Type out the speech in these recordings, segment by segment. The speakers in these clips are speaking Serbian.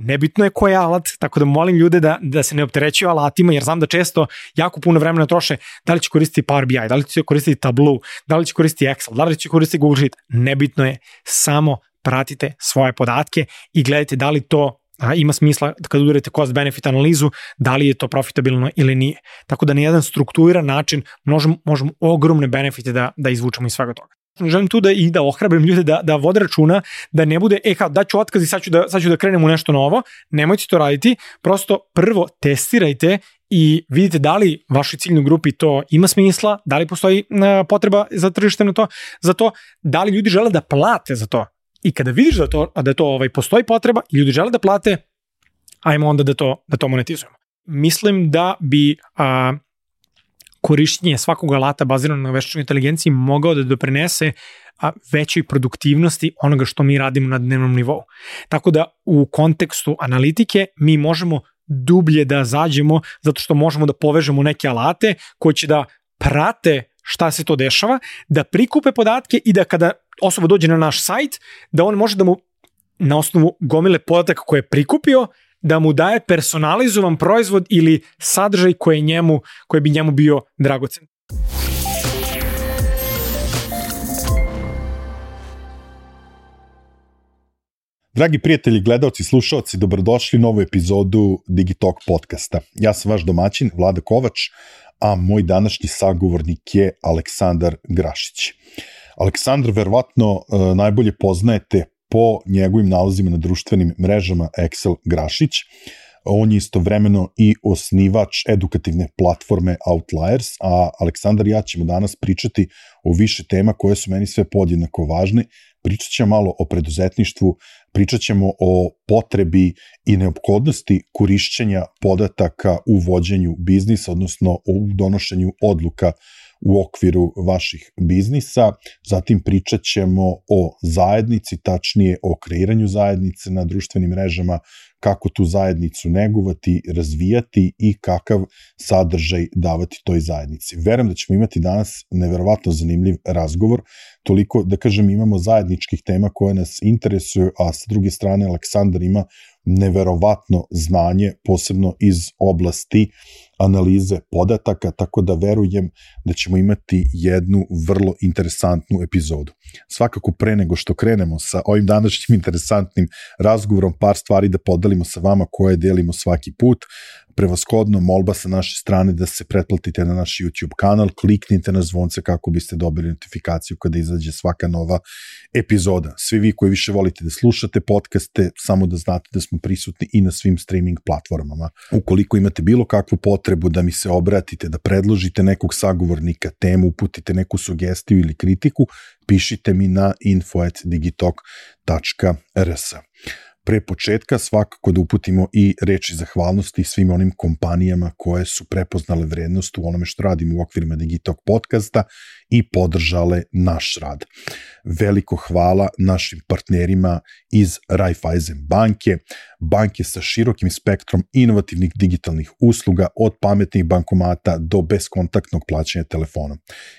nebitno je koji alat, tako da molim ljude da se ne opterećuju alatima, jer znam da često jako puno vremena troše da li će koristiti Power BI, da li će koristiti Tableau, da li će koristiti Excel, da li će koristiti Google Sheet. Nebitno je, samo pratite svoje podatke i gledajte da li to ima smisla kad udarite cost-benefit analizu, da li je to profitabilno ili nije. Tako da na jedan strukturiran način možemo ogromne benefite da izvučemo iz svega toga. Želim tu da ohrabrim ljude da vode računa, da ne bude, kao daću otkaz i sad ću da krenem u nešto novo, nemojte to raditi, prosto prvo testirajte i vidite da li vašoj ciljnoj grupi to ima smisla, da li postoji potreba za tržište za to, da li ljudi žele da plate za to. I kada vidiš da to postoji potreba i ljudi žele da plate, ajmo onda da to monetizujemo. Mislim da bi korišćenje svakog alata bazirano na veštačkoj inteligenciji mogao da doprinese većoj produktivnosti onoga što mi radimo na dnevnom nivou. Tako da u kontekstu analitike mi možemo dublje da zađemo zato što možemo da povežemo neke alate koji će da prate šta se to dešava, da prikupe podatke i da kada osoba dođe na naš sajt, da on može da mu na osnovu gomile podataka koje je prikupio, da mu daje personalizovan proizvod ili sadržaj koji bi njemu bio dragocen. Dragi prijatelji, gledaoci, slušaoci, dobrodošli u novu epizodu Digitalk podcasta. Ja sam vaš domaćin, Vlada Kovač, a moj današnji sagovornik je Aleksandar Grašić. Aleksandar verovatno najbolje poznajete po njegovim nalazima na društvenim mrežama Excel Grašić. On je istovremeno i osnivač edukativne platforme Outliers, a Aleksandar i ja ćemo danas pričati o više tema koje su meni sve podjednako važne. Pričat ćemo malo o preduzetništvu, pričat ćemo o potrebi i neophodnosti korišćenja podataka u vođenju biznisa, odnosno o donošenju odluka u okviru vaših biznisa. Zatim pričat ćemo o zajednici, tačnije o kreiranju zajednice na društvenim mrežama, kako tu zajednicu negovati, razvijati i kakav sadržaj davati toj zajednici. Verujem da ćemo imati danas neverovatno zanimljiv razgovor, toliko da kažem imamo zajedničkih tema koje nas interesuju, a s druge strane Aleksandar ima neverovatno znanje, posebno iz oblasti analize podataka, tako da verujem da ćemo imati jednu vrlo interesantnu epizodu. Svakako pre nego što krenemo sa ovim današnjim interesantnim razgovorom, par stvari da podelimo sa vama koje delimo svaki put. Prevashodno molba sa naše strane da se pretplatite na naš YouTube kanal, kliknite na zvonce kako biste dobili notifikaciju kada izađe svaka nova epizoda. Svi vi koji više volite da slušate podcaste, samo da znate da smo prisutni i na svim streaming platformama. Ukoliko imate bilo kakvu potrebu da mi se obratite, da predložite nekog sagovornika, temu, uputite neku sugestiju ili kritiku, pišite mi na info@digitalk.rs. Pre početka svakako da uputimo i reči zahvalnosti svim onim kompanijama koje su prepoznale vrednost u onome što radimo u okvirima Digitalk podcasta i podržale naš rad. Veliko hvala našim partnerima iz Raiffeisen banke sa širokim spektrom inovativnih digitalnih usluga od pametnih bankomata do beskontaktnog plaćanja telefonom.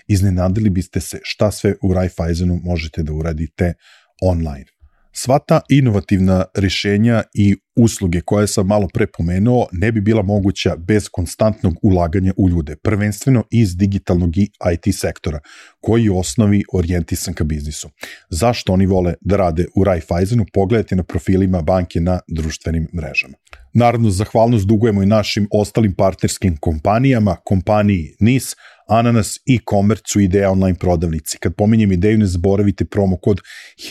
Iznenadili biste se šta sve u Raiffeisenu možete da uradite online. Sva ta inovativna rešenja i usluge koje sam malo pre pomenuo ne bi bila moguća bez konstantnog ulaganja u ljude, prvenstveno iz digitalnog i IT sektora, koji je u osnovi orijentisan ka biznisu. Zašto oni vole da rade u Raiffeisenu? Pogledajte na profilima banke na društvenim mrežama. Naravno, zahvalnost dugujemo i našim ostalim partnerskim kompanijama, kompaniji NIS, Ananas i Komercu Ideja online prodavnici. Kad pominjem Ideju, ne zaboravite promo kod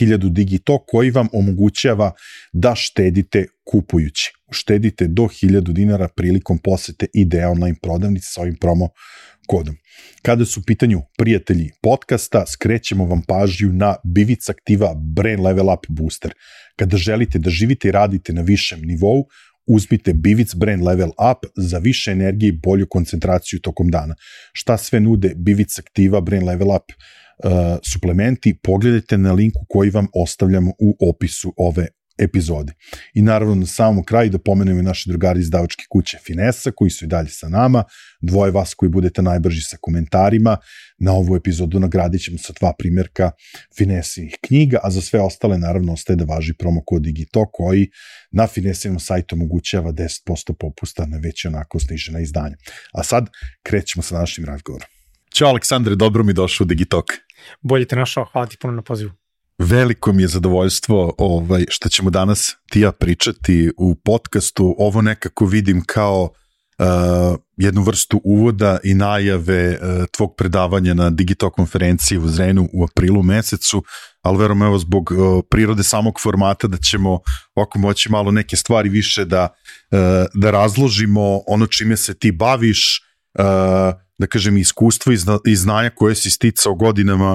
1000 Digito koji vam omogućava da štedite kupujući. Uštedite do 1000 dinara prilikom posete Ideja online prodavnici sa ovim promo kodom. Kada su u pitanju prijatelji podcasta, skrećemo vam pažnju na Bivic Aktiva Brain Level Up Booster. Kada želite da živite i radite na višem nivou, uzmite Bivic Brain Level Up za više energije i bolju koncentraciju tokom dana. Šta sve nude Bivic Aktiva Brain Level Up suplementi? Pogledajte na linku koji vam ostavljamo u opisu ove epizodi. I naravno na samom kraju da pomenemo i naše drugari iz izdavačke kuće Finesa, koji su i dalje sa nama, dvoje vas koji budete najbrži sa komentarima. Na ovu epizodu nagradit ćemo sa 2 primjerka Finesinih knjiga, a za sve ostale naravno ostaje da važi promo kod Digitalk koji na Finesinom sajtu omogućava 10% popusta na već onako snižena izdanja. A sad krećemo sa našim razgovorom. Ćao Aleksandre, dobro mi došao u Digitalk. Bolje te našao, hvala ti puno na pozivu. Veliko mi je zadovoljstvo što ćemo danas ti ja pričati u podcastu. Ovo nekako vidim kao jednu vrstu uvoda i najave tvog predavanja na Digitalk konferenciji u Zrenu u aprilu mesecu, ali verujem evo zbog prirode samog formata da ćemo ovako moći malo neke stvari više da razložimo ono čime se ti baviš, da kažem iskustvo i znanja koje si sticao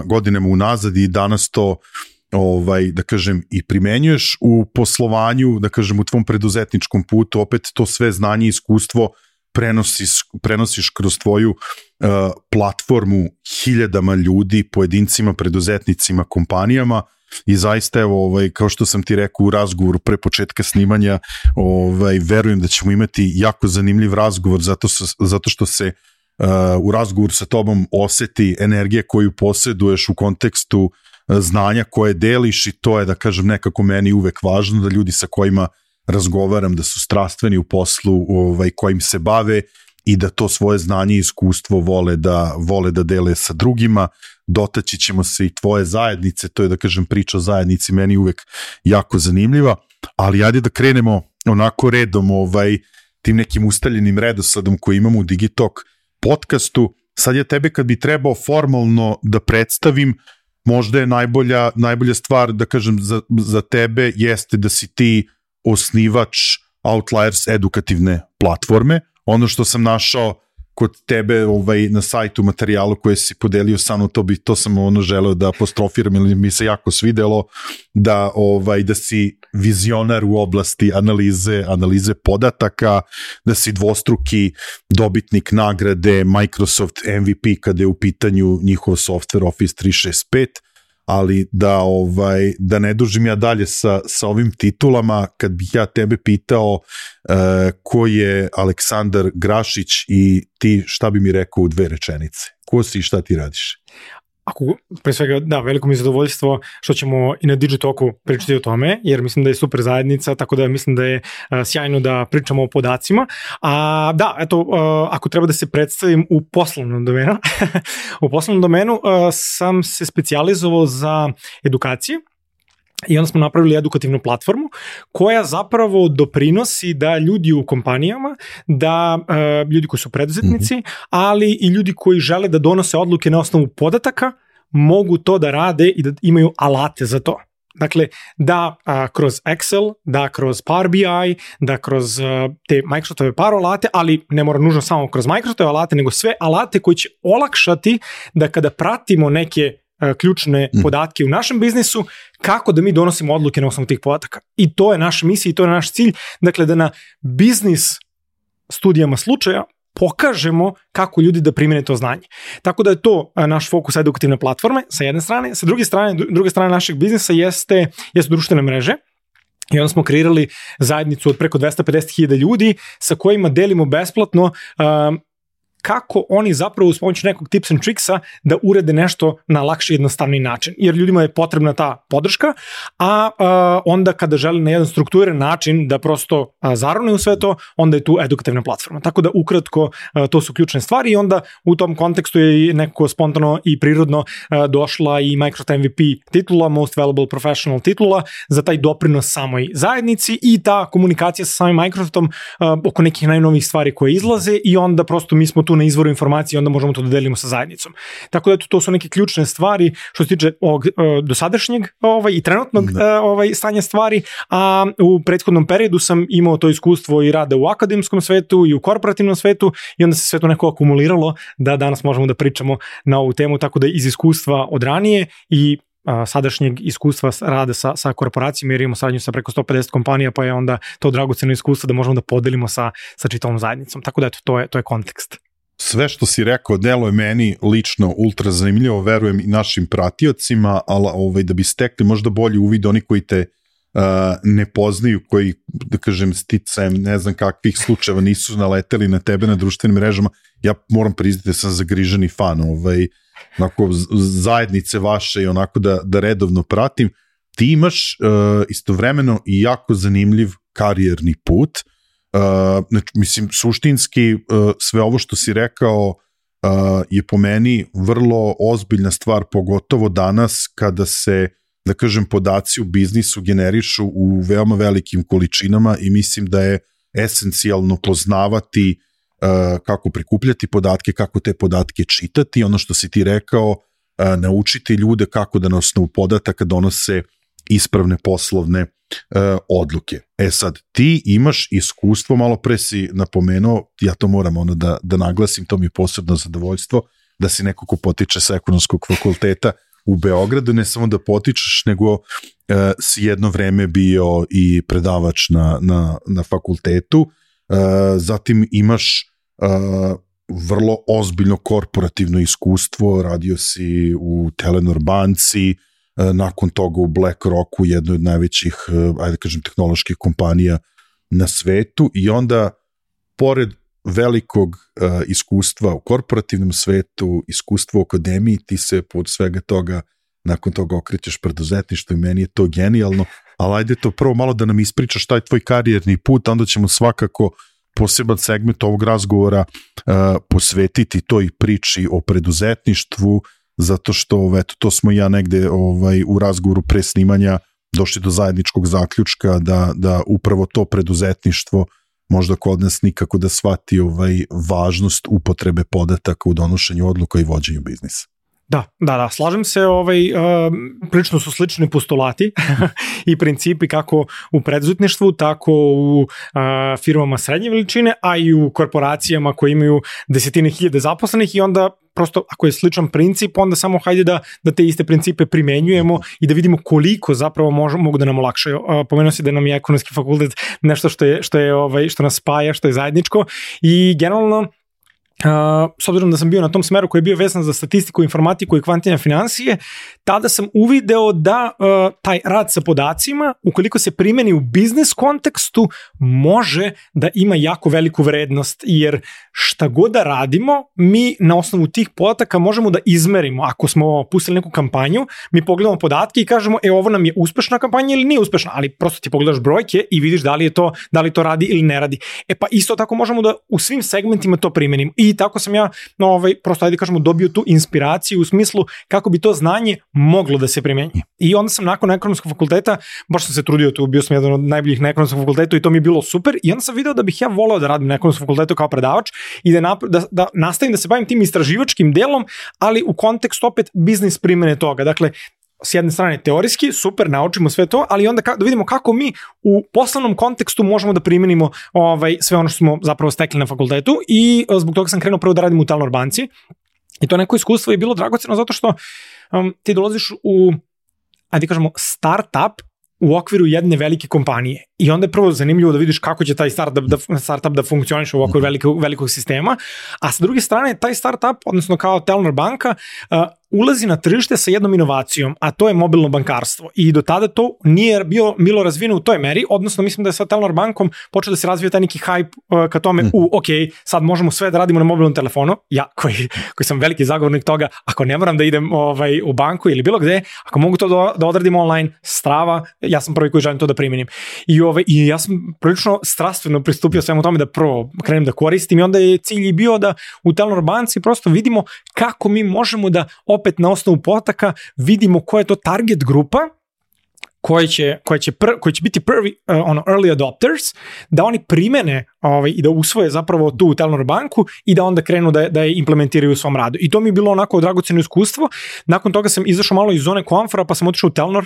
godinama unazad i danas to da kažem i primenjuješ u poslovanju, da kažem u tvom preduzetničkom putu, opet to sve znanje i iskustvo prenosiš kroz tvoju platformu hiljadama ljudi, pojedincima, preduzetnicima, kompanijama i zaista evo, kao što sam ti rekao u razgovoru pre početka snimanja, verujem da ćemo imati jako zanimljiv razgovor zato što se u razgovoru sa tobom oseti energija koju posjeduješ u kontekstu znanja koje deliš i to je, da kažem, nekako meni uvek važno da ljudi sa kojima razgovaram da su strastveni u poslu kojim se bave i da to svoje znanje i iskustvo vole da dele sa drugima. Dotaći ćemo se i tvoje zajednice, to je, da kažem, priča o zajednici meni uvek jako zanimljiva, ali ajde da krenemo onako redom tim nekim ustaljenim redosledom koji imamo u Digitalk podcastu. Sad ja tebe kad bi trebao formalno da predstavim, možda je najbolja stvar, da kažem, za tebe jeste da si ti osnivač Outliers edukativne platforme. Ono što sam našao kod tebe na sajtu materijalu koje si podelio sa mnom, to sam želeo da apostrofiram ili mi se jako svidelo da si vizionar u oblasti analize podataka, da si dvostruki dobitnik nagrade Microsoft MVP kada je u pitanju njihov software Office 365, ali da ne dužim ja dalje sa ovim titulama, kad bih ja tebe pitao ko je Aleksandar Grašić i ti šta bi mi rekao u 2 rečenice? Ko si i šta ti radiš? Pre svega, da, veliko mi je zadovoljstvo što ćemo i na Digitalku pričati o tome, jer mislim da je super zajednica, tako da mislim da je sjajno da pričamo o podacima. Ako treba da se predstavim u poslovnom domenu, u poslovnom domenu sam se specijalizovao za edukacije i onda smo napravili edukativnu platformu koja zapravo doprinosi da ljudi u kompanijama, da ljudi koji su preduzetnici, ali i ljudi koji žele da donose odluke na osnovu podataka, mogu to da rade i da imaju alate za to. Dakle, da kroz Excel, da kroz Power BI, da kroz te Microsoftove Power alate, ali ne mora nužno samo kroz Microsoftove alate, nego sve alate koji će olakšati da kada pratimo neke ključne podatke u našem biznisu, kako da mi donosimo odluke na osnovu tih podataka. I to je naša misija i to je naš cilj. Dakle, da na biznis studijama slučaja pokažemo kako ljudi da primene to znanje. Tako da je to naš fokus edukativne platforme sa jedne strane. Sa druge strane našeg biznisa jeste društvene mreže. I onda smo kreirali zajednicu od preko 250.000 ljudi sa kojima delimo besplatno kako oni zapravo uz pomoć nekog tips and tricksa da urede nešto na lakši i jednostavni način. Jer ljudima je potrebna ta podrška, a onda kada žele na jedan strukturiran način da prosto zarone u sve to, onda je tu edukativna platforma. Tako da ukratko to su ključne stvari i onda u tom kontekstu je nekako spontano i prirodno došla i Microsoft MVP titula, Most Valuable Professional titula za taj doprinos samoj zajednici i ta komunikacija sa samim Microsoftom oko nekih najnovijih stvari koje izlaze i onda prosto mi smo tu na izvoru informacije i onda možemo to da delimo sa zajednicom. Tako da to su neke ključne stvari što se tiče ovog dosadašnjeg i trenutnog stanja stvari, a u prethodnom periodu sam imao to iskustvo i rada u akademskom svetu i u korporativnom svetu i onda se sve to neko akumuliralo da danas možemo da pričamo na ovu temu, tako da iz iskustva od ranije i sadašnjeg iskustva rada sa korporacijama, jer imamo saradnju sa preko 150 kompanija, pa je onda to dragoceno iskustvo da možemo da podelimo sa čitavom zajednicom. Tako da to je kontekst. Sve što si rekao delo je meni lično ultra zanimljivo, verujem i našim pratiocima, ali da bi stekli možda bolji uvid oni koji te ne poznaju, koji, da kažem, sticajem ne znam kakvih slučajeva nisu naleteli na tebe na društvenim mrežama, ja moram priznati da sam zagriženi fan onako, zajednice vaše i onako da redovno pratim. Ti imaš istovremeno i jako zanimljiv karijerni put. Znači, mislim, suštinski sve ovo što si rekao je po meni vrlo ozbiljna stvar, pogotovo danas kada se, da kažem, podaci u biznisu generišu u veoma velikim količinama i mislim da je esencijalno poznavati kako prikupljati podatke, kako te podatke čitati, ono što si ti rekao, naučiti ljude kako da na osnovu podataka donose ispravne poslovne odluke. Sad, ti imaš iskustvo, malo pre si napomenuo, ja to moram da naglasim, to mi je posebno zadovoljstvo, da si neko ko potiče sa ekonomskog fakulteta u Beogradu, ne samo da potičeš, nego si jedno vreme bio i predavač na fakultetu, zatim imaš vrlo ozbiljno korporativno iskustvo, radio si u Telenor banci, nakon toga u BlackRocku, jednoj od najvećih, ajde kažem, tehnoloških kompanija na svetu, i onda, pored velikog iskustva u korporativnom svetu, iskustva u akademiji, ti se pod svega toga, nakon toga okrećeš preduzetništvo i meni je to genijalno, ali ajde to prvo malo da nam ispričaš taj tvoj karijerni put, onda ćemo svakako poseban segment ovog razgovora posvetiti toj priči o preduzetništvu, zato što eto, to smo ja negde u razgovoru pre snimanja došli do zajedničkog zaključka da upravo to preduzetništvo možda kod nas nikako da shvati važnost upotrebe podataka u donošenju odluka i vođenju biznisa. Da, slažem se, prilično su slični postulati i principi kako u preduzetništvu, tako u firmama srednje veličine, a i u korporacijama koje imaju desetine hiljade zaposlenih, i onda prosto ako je sličan princip, onda samo hajde da te iste principe primenjujemo i da vidimo koliko zapravo mogu da nam olakšaju. Pomenuo si da nam je ekonomski fakultet nešto što nas spaja, što je zajedničko, i generalno s obzirom da sam bio na tom smeru koji je bio vezan za statistiku, informatiku i kvantilne financije, tada sam uvideo da taj rad sa podacima, ukoliko se primeni u biznis kontekstu, može da ima jako veliku vrednost, jer šta god da radimo, mi na osnovu tih podataka možemo da izmerimo. Ako smo pustili neku kampanju, mi pogledamo podatke i kažemo, ovo nam je uspešna kampanja ili nije uspešna, ali prosto ti pogledaš brojke i vidiš da li to radi ili ne radi. Pa isto tako možemo da u svim segmentima to primenimo. I tako sam ja, prosto ajde kažemo, dobio tu inspiraciju u smislu kako bi to znanje moglo da se primenjuje. I onda sam nakon ekonomskog fakulteta, baš sam se trudio, bio sam jedan od najboljih na ekonomskom fakultetu i to mi je bilo super, i onda sam video da bih ja voleo da radim na ekonomskom fakultetu kao predavač i da nastavim da se bavim tim istraživačkim delom, ali u kontekstu opet biznis primene toga. Dakle, s jedne strane teorijski, super, naučimo sve to, ali onda da vidimo kako mi u poslovnom kontekstu možemo da primenimo sve ono što smo zapravo stekli na fakultetu, i zbog toga sam krenuo prvo da radim u Telenor banci, i to neko iskustvo je bilo dragoceno zato što ti dolaziš u, ajde kažemo, start-up u okviru jedne velike kompanije, i onda je prvo zanimljivo da vidiš kako će taj startup da funkcioniše u okviru velikog sistema, a sa druge strane taj startup, odnosno kao Telenor banka, ulazi na tržište sa jednom inovacijom, a to je mobilno bankarstvo, i do tada to nije bilo razvijeno u toj meri, odnosno mislim da je sa Telenor bankom počeo da se razvija taj neki hype ka tome, sad možemo sve da radimo na mobilnom telefonu, ja koji sam veliki zagovornik toga, ako ne moram da idem u banku ili bilo gde, ako mogu to da odradim online, strava, ja sam prvi koji želim to da primenim. I ja sam prilično strastveno pristupio svemu tome da prvo krenem da koristim, i onda je cilj i bio da u Telenor banci prosto vidimo kako mi možemo da opet na osnovu podataka vidimo koja je to target grupa koji će biti prvi early adopters, da oni primene i da usvoje zapravo tu Telenor banku i da onda krenu da je implementiraju u svom radu. I to mi je bilo onako dragoceno iskustvo. Nakon toga sam izašao malo iz zone komfora, pa sam otišao u Telenor,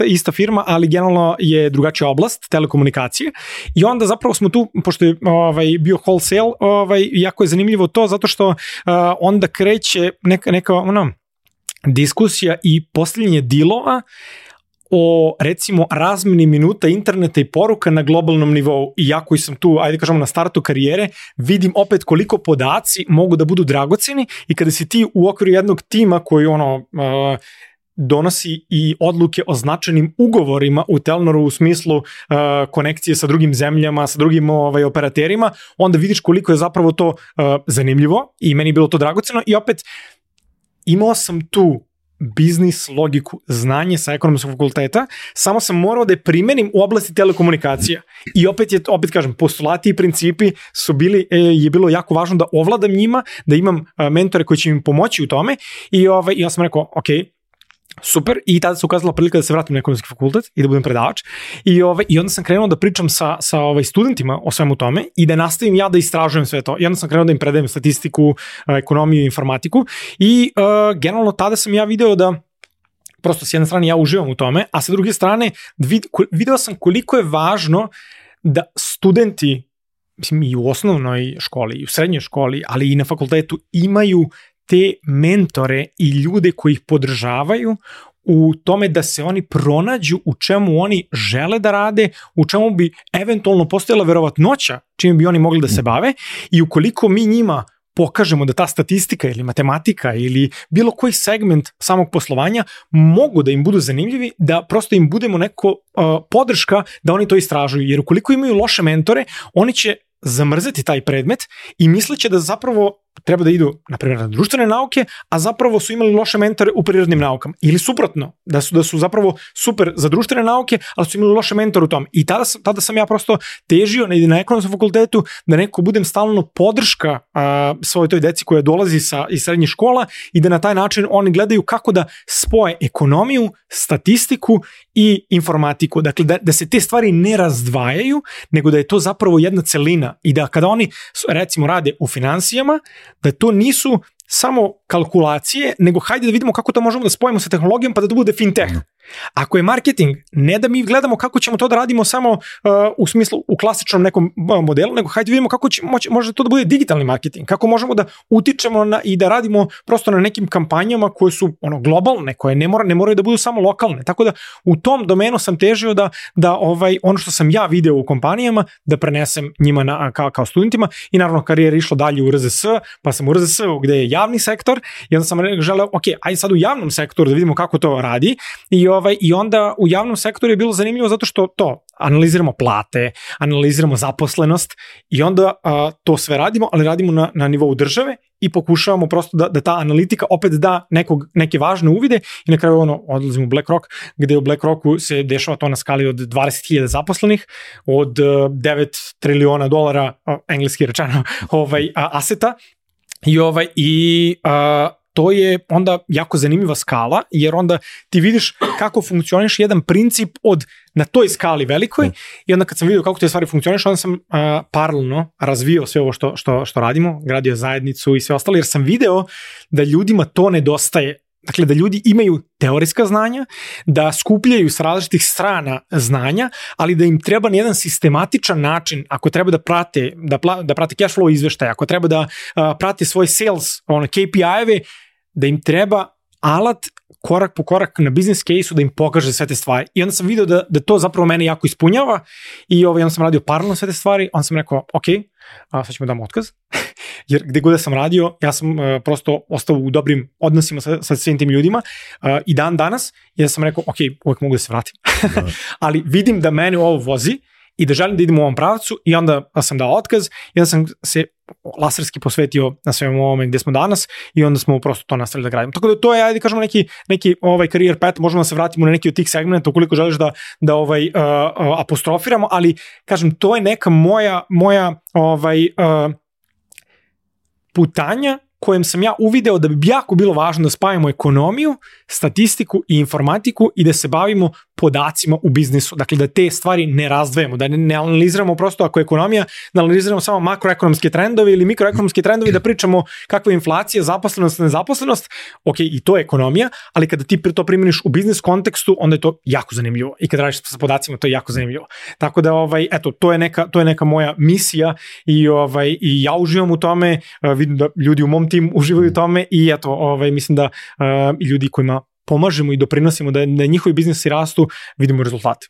ista firma, ali generalno je drugačija oblast, telekomunikacije. I onda zapravo smo tu, pošto je bio wholesale, jako je zanimljivo to, zato što onda kreće neka diskusija i postavljanje dilova o, recimo, razmeni minuta interneta i poruka na globalnom nivou. I ja koji sam tu, ajde kažemo, na startu karijere, vidim opet koliko podaci mogu da budu dragoceni, i kada si ti u okviru jednog tima koji donosi i odluke o značajnim ugovorima u Telnoru u smislu konekcije sa drugim zemljama, sa drugim operaterima, onda vidiš koliko je zapravo to zanimljivo i meni je bilo to dragoceno i opet imao sam tu biznis logiku, znanje sa ekonomskog fakulteta, samo sam morao da je primenim u oblasti telekomunikacija. I opet kažem, postulati i principi su bili, je bilo jako važno da ovladam njima, da imam mentore koji će mi pomoći u tome i ja sam rekao, ok, super, i tada se ukazala prilika da se vratim na ekonomski fakultet i da budem predavač i onda sam krenuo da pričam sa studentima o svemu tome i da nastavim ja da istražujem sve to i onda sam krenuo da im predajem statistiku, ekonomiju i informatiku i generalno tada sam ja video da prosto s jedne strane ja uživam u tome, a sa druge strane video sam koliko je važno da studenti, mislim i u osnovnoj školi i u srednjoj školi, ali i na fakultetu imaju te mentore i ljude koji ih podržavaju u tome da se oni pronađu u čemu oni žele da rade, u čemu bi eventualno postojala verovatnoća čime bi oni mogli da se bave i ukoliko mi njima pokažemo da ta statistika ili matematika ili bilo koji segment samog poslovanja mogu da im budu zanimljivi, da prosto im budemo neko podrška da oni to istražuju. Jer ukoliko imaju loše mentore, oni će zamrzeti taj predmet i misleće da zapravo treba da idu, na primjer, na društvene nauke, a zapravo su imali loše mentore u prirodnim naukama. Ili suprotno, da su zapravo super za društvene nauke, ali su imali loše mentore u tom. I tada sam ja prosto težio na ekonomskom fakultetu da neko budem stalno podrška svojoj toj deci koja dolazi iz srednjih škola i da na taj način oni gledaju kako da spoje ekonomiju, statistiku i informatiku. Dakle, da se te stvari ne razdvajaju, nego da je to zapravo jedna celina i da kada oni recimo rade u finansijama, da to nisu samo kalkulacije, nego hajde da vidimo kako to možemo da spojimo sa tehnologijom pa da to bude fintech. Ako je marketing, ne da mi gledamo kako ćemo to da radimo samo u smislu u klasičnom nekom modelu, nego hajde vidimo kako može to da bude digitalni marketing, kako možemo da utičemo i da radimo prosto na nekim kampanjama koje su globalne, koje ne moraju da budu samo lokalne. Tako da u tom domenu sam težio da ono što sam ja video u kompanijama da prenesem njima kao studentima i naravno karijera išla dalje u RZS, pa sam u RZS-u gde je javni sektor i onda sam želeo, ok, ajde sad u javnom sektoru da vidimo kako to radi i onda u javnom sektoru je bilo zanimljivo zato što analiziramo plate, analiziramo zaposlenost i onda to sve radimo, ali radimo na nivou države i pokušavamo prosto da ta analitika opet da neke važne uvide i na kraju odlazimo u BlackRock, gde u BlackRocku se dešava to na skali od 20.000 zaposlenih, od $9 triliona, engleski rečeno, aseta i to je onda jako zanimljiva skala, jer onda ti vidiš kako funkcioniš jedan princip na toj skali velikoj i onda kad sam vidio kako te stvari funkcioniš, onda sam paralelno razvio sve ovo što radimo, gradio zajednicu i sve ostalo, jer sam video da ljudima to nedostaje. Dakle, da ljudi imaju teorijska znanja, da skupljaju s različitih strana znanja, ali da im treba na jedan sistematičan način, ako treba da prate cash flow izveštaje, ako treba da prate svoj sales, KPI-eve, da im treba alat korak po korak na business case-u da im pokaže sve te stvari. I onda sam vidio da to zapravo mene jako ispunjava i onda sam radio paralelno sve te stvari, onda sam rekao, ok, sad ćemo damo otkaz. Jer gde god da sam radio, ja sam prosto ostao u dobrim odnosima sa svim tim ljudima i dan danas, i da sam rekao, ok, uvijek mogu da se vratim. Ali vidim da mene ovo vozi i da želim da idem u ovom pravcu i onda sam dao otkaz i onda sam se laserski posvetio na svemu ovome gde smo danas i onda smo prosto to nastavili da gradimo. Tako da to je, ajde kažemo, neki career path, možemo da se vratimo na neki od tih segmenta ukoliko želiš da apostrofiramo, ali kažem, to je neka moja putanja kojem sam ja uvideo da bi jako bilo važno da spajamo ekonomiju, statistiku i informatiku i da se bavimo podacima u biznisu. Dakle, da te stvari ne razdvajamo, da ne analiziramo prosto ako je ekonomija, da analiziramo samo makroekonomske trendove ili mikroekonomske trendove, da pričamo kakva je inflacija, zaposlenost, nezaposlenost. Ok, i to je ekonomija, ali kada ti to primjeniš u biznis kontekstu, onda je to jako zanimljivo. I kada radiš sa podacima, to je jako zanimljivo. Tako da, eto, to je neka moja misija i ja uživam u tome, vidim da ljudi u mom timu uživaju u tome i eto, mislim da ljudi kojima pomažemo i doprinosimo da njihovi biznisi rastu, vidimo rezultate.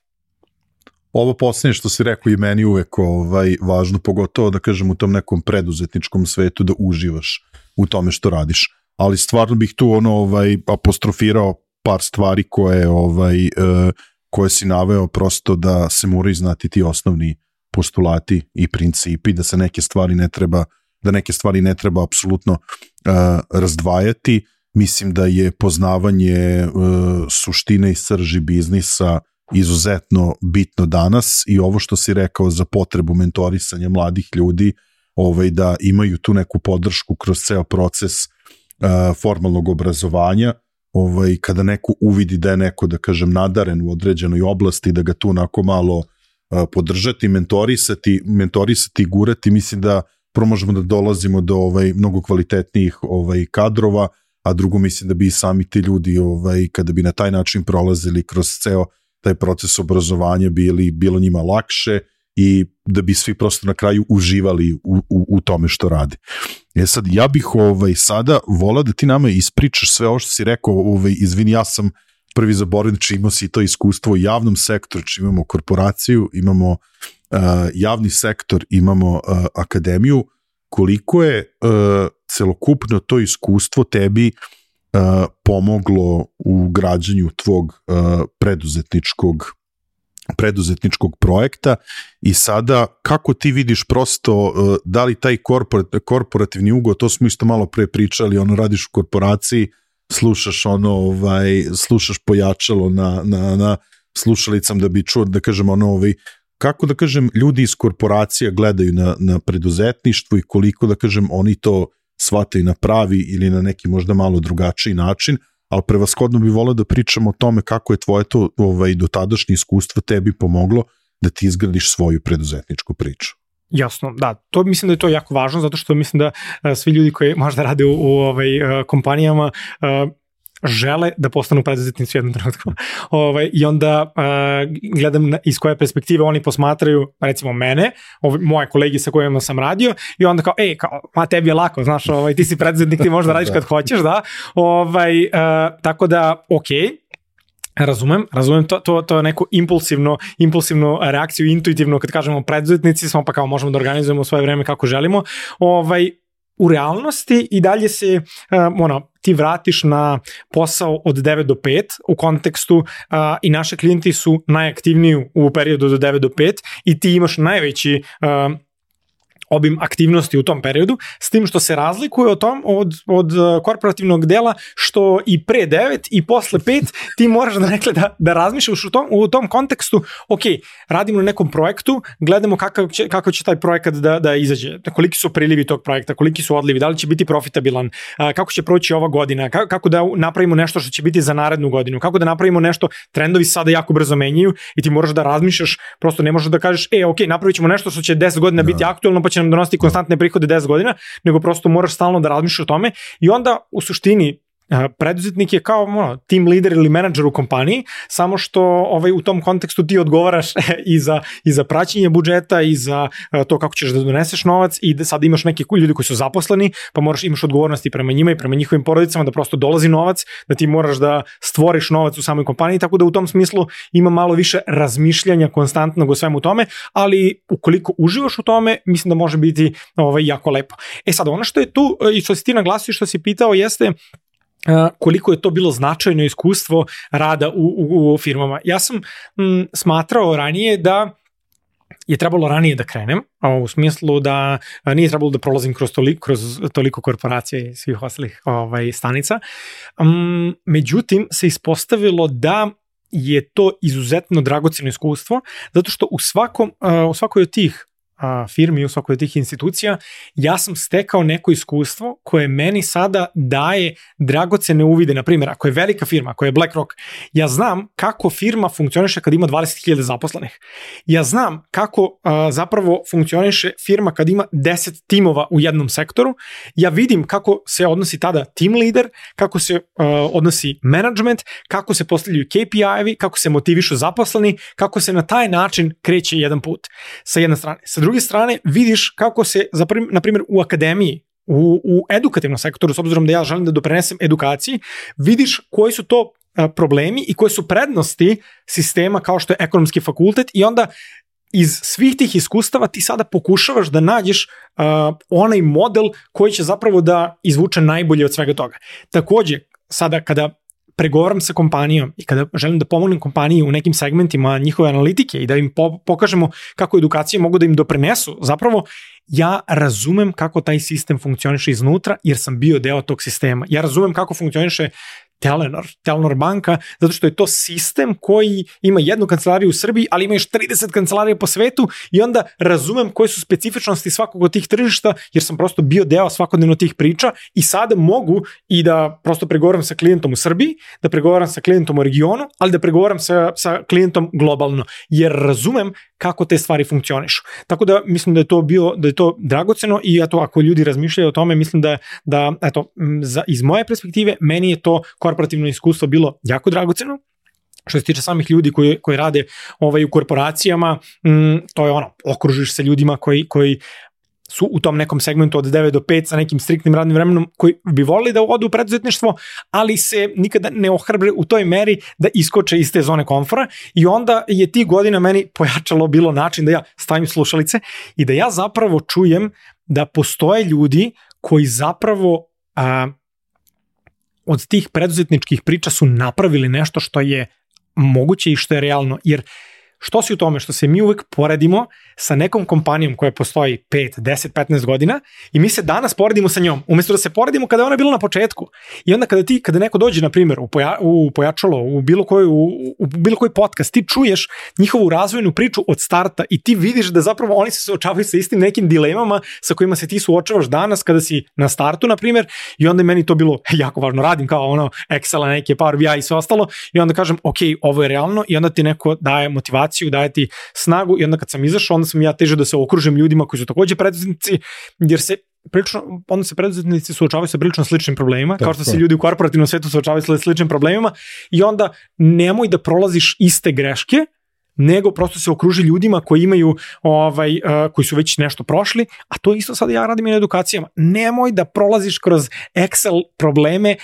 Ovo posljednje što si rekao i meni uvek važno, pogotovo da kažem u tom nekom preduzetničkom svetu da uživaš u tome što radiš. Ali stvarno bih tu apostrofirao par stvari koje si naveo, prosto da se moraju znati ti osnovni postulati i principi, da se neke stvari ne treba apsolutno razdvajati. Mislim da je poznavanje suštine i srži biznisa izuzetno bitno danas i ovo što si rekao za potrebu mentorisanja mladih ljudi, da imaju tu neku podršku kroz ceo proces formalnog obrazovanja, kada neko uvidi da je neko, da kažem, nadaren u određenoj oblasti, da ga tu onako malo podržati, mentorisati i gurati, mislim da prvo možemo da dolazimo do mnogo kvalitetnijih kadrova, a drugo mislim da bi i sami ti ljudi kada bi na taj način prolazili kroz ceo taj proces obrazovanja bilo njima lakše i da bi svi prosto na kraju uživali u tome što rade. Sad, ja bih sada volao da ti nama ispričaš sve ovo što si rekao, izvini, ja sam prvi zaboravim, či imao si to iskustvo u javnom sektoru, či imamo korporaciju, imamo javni sektor, imamo akademiju, koliko je celokupno to iskustvo tebi pomoglo u građanju tvog preduzetničkog projekta i sada kako ti vidiš prosto da li taj korporativni ugo, to smo isto malo pre pričali, radiš u korporaciji, slušaš pojačalo na slušalicam da bi čuo, da kažem, kako da kažem, ljudi iz korporacija gledaju na preduzetništvo i koliko, da kažem, oni to shvataju na pravi ili na neki možda malo drugačiji način, ali prevashodno bi voleo da pričamo o tome kako je tvoje to dotadašnje iskustvo tebi pomoglo da ti izgradiš svoju preduzetničku priču. Jasno, da, to mislim da je to jako važno, zato što mislim da svi ljudi koji možda rade u kompanijama žele da postanu preduzetnici u jednom trenutku. I onda gledam iz koje perspektive oni posmatraju, recimo mene, moje kolege sa kojima sam radio, i onda kao, tebi je lako, znaš, ti si preduzetnik, ti možda radiš kad hoćeš, da. Tako da, razumem to neku impulsivnu reakciju, intuitivno kad kažemo preduzetnici smo, pa kao možemo da organizujemo svoje vreme kako želimo. U realnosti i dalje se ti vratiš na posao od 9 do 5 u kontekstu i naši klijenti su najaktivniji u periodu do 9 do 5 i ti imaš najveći obim aktivnosti u tom periodu, s tim što se razlikuje od korporativnog dela, što i pre 9 i posle 5 ti moraš da razmišljaš u tom kontekstu, radimo na nekom projektu, gledamo kakav će taj projekat da izađe, koliki su prilivi tog projekta, koliki su odlivi, da li će biti profitabilan, kako će proći ova godina, kako da napravimo nešto što će biti za narednu godinu, kako da napravimo nešto, trendovi sada jako brzo menjaju i ti moraš da razmišljaš, prosto ne možeš da kažeš, napravit ćemo nešto što će 10 godina biti aktuelno, pa će nam donositi konstantne prihode 10 godina, nego prosto moraš stalno da razmišljaš o tome i onda u suštini preduzetnik je kao team leader ili menadžer u kompaniji, samo što u tom kontekstu ti odgovaraš i za praćenje budžeta i za to kako ćeš da doneseš novac i da sad imaš neke ljudi koji su zaposleni, pa imaš odgovornosti prema njima i prema njihovim porodicama da prosto dolazi novac, da ti moraš da stvoriš novac u samoj kompaniji, tako da u tom smislu ima malo više razmišljanja konstantnog o svemu tome, ali ukoliko uživaš u tome, mislim da može biti jako lepo. Sad, ono što je tu i što si ti naglasio, što si pitao, jeste koliko je to bilo značajno iskustvo rada u firmama. Ja sam smatrao ranije da je trebalo ranije da krenem, u smislu da nije trebalo da prolazim kroz toliko korporacija i svih ostalih stanica. Međutim, se ispostavilo da je to izuzetno dragoceno iskustvo, zato što u svakoj od tih firmi, u svakoj od tih institucija, ja sam stekao neko iskustvo koje meni sada daje dragocene uvide. Na primjer, ako je velika firma, ako je BlackRock, ja znam kako firma funkcioniše kad ima 20.000 zaposlenih. Ja znam kako zapravo funkcioniše firma kad ima 10 timova u jednom sektoru. Ja vidim kako se odnosi tada team leader, kako se odnosi management, kako se postavljaju KPI-evi, kako se motivišu zaposleni, kako se na taj način kreće jedan put. Sa jedne strane. Sa druge strane, vidiš kako se, na primjer, u akademiji, u edukativnom sektoru, s obzirom da ja želim da doprinesem edukaciji, vidiš koji su to problemi i koje su prednosti sistema kao što je ekonomski fakultet i onda iz svih tih iskustava ti sada pokušavaš da nađeš onaj model koji će zapravo da izvuče najbolje od svega toga. Takođe, sada kada pregovaram sa kompanijom i kada želim da pomognem kompaniji u nekim segmentima njihove analitike i da im pokažemo kako edukacije mogu da im doprinesu, zapravo ja razumem kako taj sistem funkcioniše iznutra jer sam bio deo tog sistema. Ja razumem kako funkcioniše Telenor banka, zato što je to sistem koji ima jednu kancelariju u Srbiji, ali ima još 30 kancelarija po svetu i onda razumem koje su specifičnosti svakog od tih tržišta, jer sam prosto bio deo svakodnevno tih priča i sada mogu i da prosto pregovaram sa klijentom u Srbiji, da pregovaram sa klijentom u regionu, ali da pregovaram sa klijentom globalno, jer razumem kako te stvari funkcionišu. Tako da mislim da je to dragoceno i eto, ako ljudi razmišljaju o tome, mislim da eto, iz moje perspektive, meni je to korporativno iskustvo bilo jako dragoceno. Što se tiče samih ljudi koji rade u korporacijama, to je okružiš se ljudima koji su u tom nekom segmentu od 9 do 5 sa nekim striktnim radnim vremenom koji bi volili da odu u preduzetništvo, ali se nikada ne ohrabre u toj meri da iskoče iz te zone komfora i onda je tih godina meni pojačalo bilo način da ja stavim slušalice i da ja zapravo čujem da postoje ljudi koji zapravo od tih preduzetničkih priča su napravili nešto što je moguće i što je realno, jer što si u tome što se mi uvek poredimo sa nekom kompanijom koja postoji 5, 10, 15 godina i mi se danas poredimo sa njom, umjesto da se poredimo kada je ona bila na početku. I onda kada neko dođe, na primjer, u pojačalo, u bilo koji podcast, ti čuješ njihovu razvojnu priču od starta i ti vidiš da zapravo oni se suočavaju sa istim nekim dilemama sa kojima se ti suočavaš danas kada si na startu, na primjer, i onda je meni to bilo jako važno. Radim kao Excel, neke Power BI i sve ostalo i onda kažem, ok, ovo je realno i onda ti neko daje motivaciju, daje ti snagu i onda kad sam izašao, onda sam ja težio da se okružim ljudima koji su takođe preduzetnici, jer se onda se preduzetnici suočavaju sa prilično sličnim problemima, kao što se ljudi u korporativnom svetu suočavaju sa sličnim problemima i onda nemoj da prolaziš iste greške, nego prosto se okruži ljudima koji imaju, koji su već nešto prošli, a to isto sad ja radim i na edukacijama. Nemoj da prolaziš kroz Excel probleme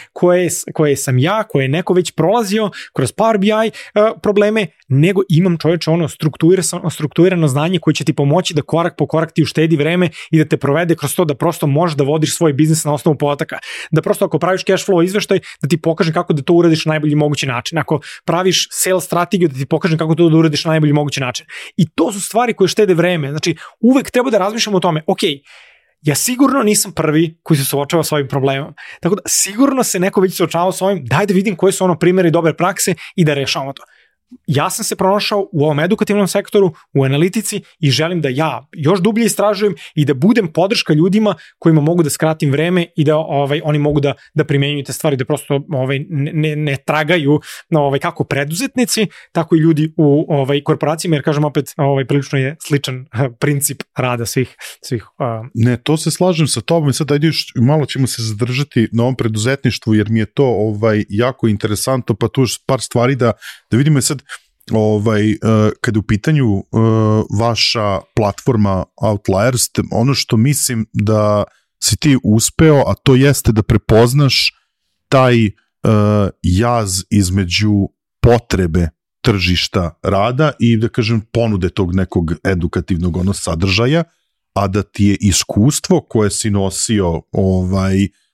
koje sam ja, koje je neko već prolazio, kroz Power BI probleme, nego imam čovječe strukturirano znanje koje će ti pomoći da korak po korak ti uštedi vreme i da te provede kroz to da prosto možeš da vodiš svoj biznis na osnovu podataka. Da prosto ako praviš cash flow izveštaj, da ti pokažem kako da to uradiš na najbolji mogući način. Ako praviš sales strategiju, da ti pokažem kako to da uradiš na najbolji mogući način. I to su stvari koje štede vreme. Znači, uvek treba da razmišljamo o tome, ok, ja sigurno nisam prvi koji se suočava s ovim problemom. Tako da, sigurno se neko već suočavao s ovim, daj da vidim koje su primjeri dobre prakse i da rešavamo to. Ja sam se pronašao u ovom edukativnom sektoru, u analitici i želim da ja još dublje istražujem i da budem podrška ljudima kojima mogu da skratim vreme i da oni mogu da primenjuju te stvari, da prosto ne tragaju kako preduzetnici, tako i ljudi u korporacijama, jer kažem opet, prilično je sličan princip rada svih. Ne, to se slažem sa tobom i sad ajde još malo ćemo se zadržati na ovom preduzetništvu, jer mi je to jako interesantno, pa tu još par stvari da vidimo sad kada u pitanju vaša platforma Outliers, ono što mislim da si ti uspeo, a to jeste da prepoznaš taj jaz između potrebe tržišta rada i da kažem ponude tog nekog edukativnog sadržaja, a da ti je iskustvo koje si nosio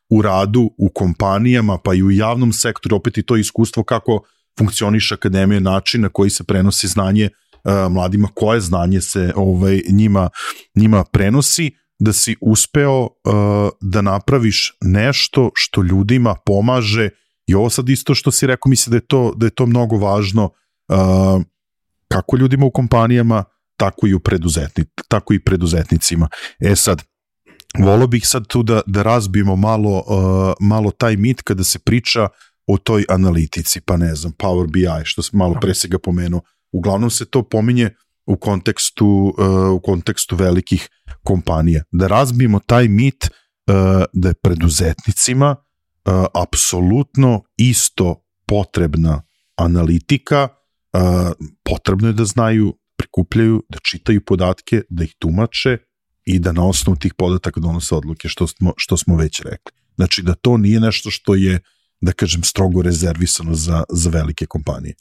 u radu, u kompanijama, pa i u javnom sektoru, opet i to iskustvo kako funkcioniše akademija, način na koji se prenosi znanje mladima, koje znanje se njima prenosi, da si uspeo da napraviš nešto što ljudima pomaže i ovo sad isto što si rekao, mislim da je to mnogo važno kako ljudima u kompanijama, tako i preduzetnicima. Sad, volio bih sad tu da razbijemo malo taj mit kada se priča o toj analitici, pa ne znam, Power BI, što sam malo pre se ga pomenuo. Uglavnom se to pominje u kontekstu velikih kompanija. Da razbijemo taj mit da je preduzetnicima apsolutno isto potrebna analitika, potrebno je da znaju, prikupljaju, da čitaju podatke, da ih tumače i da na osnovu tih podataka donose odluke, što smo već rekli. Znači da to nije nešto što je, da kažem, strogo rezervisano za velike kompanije.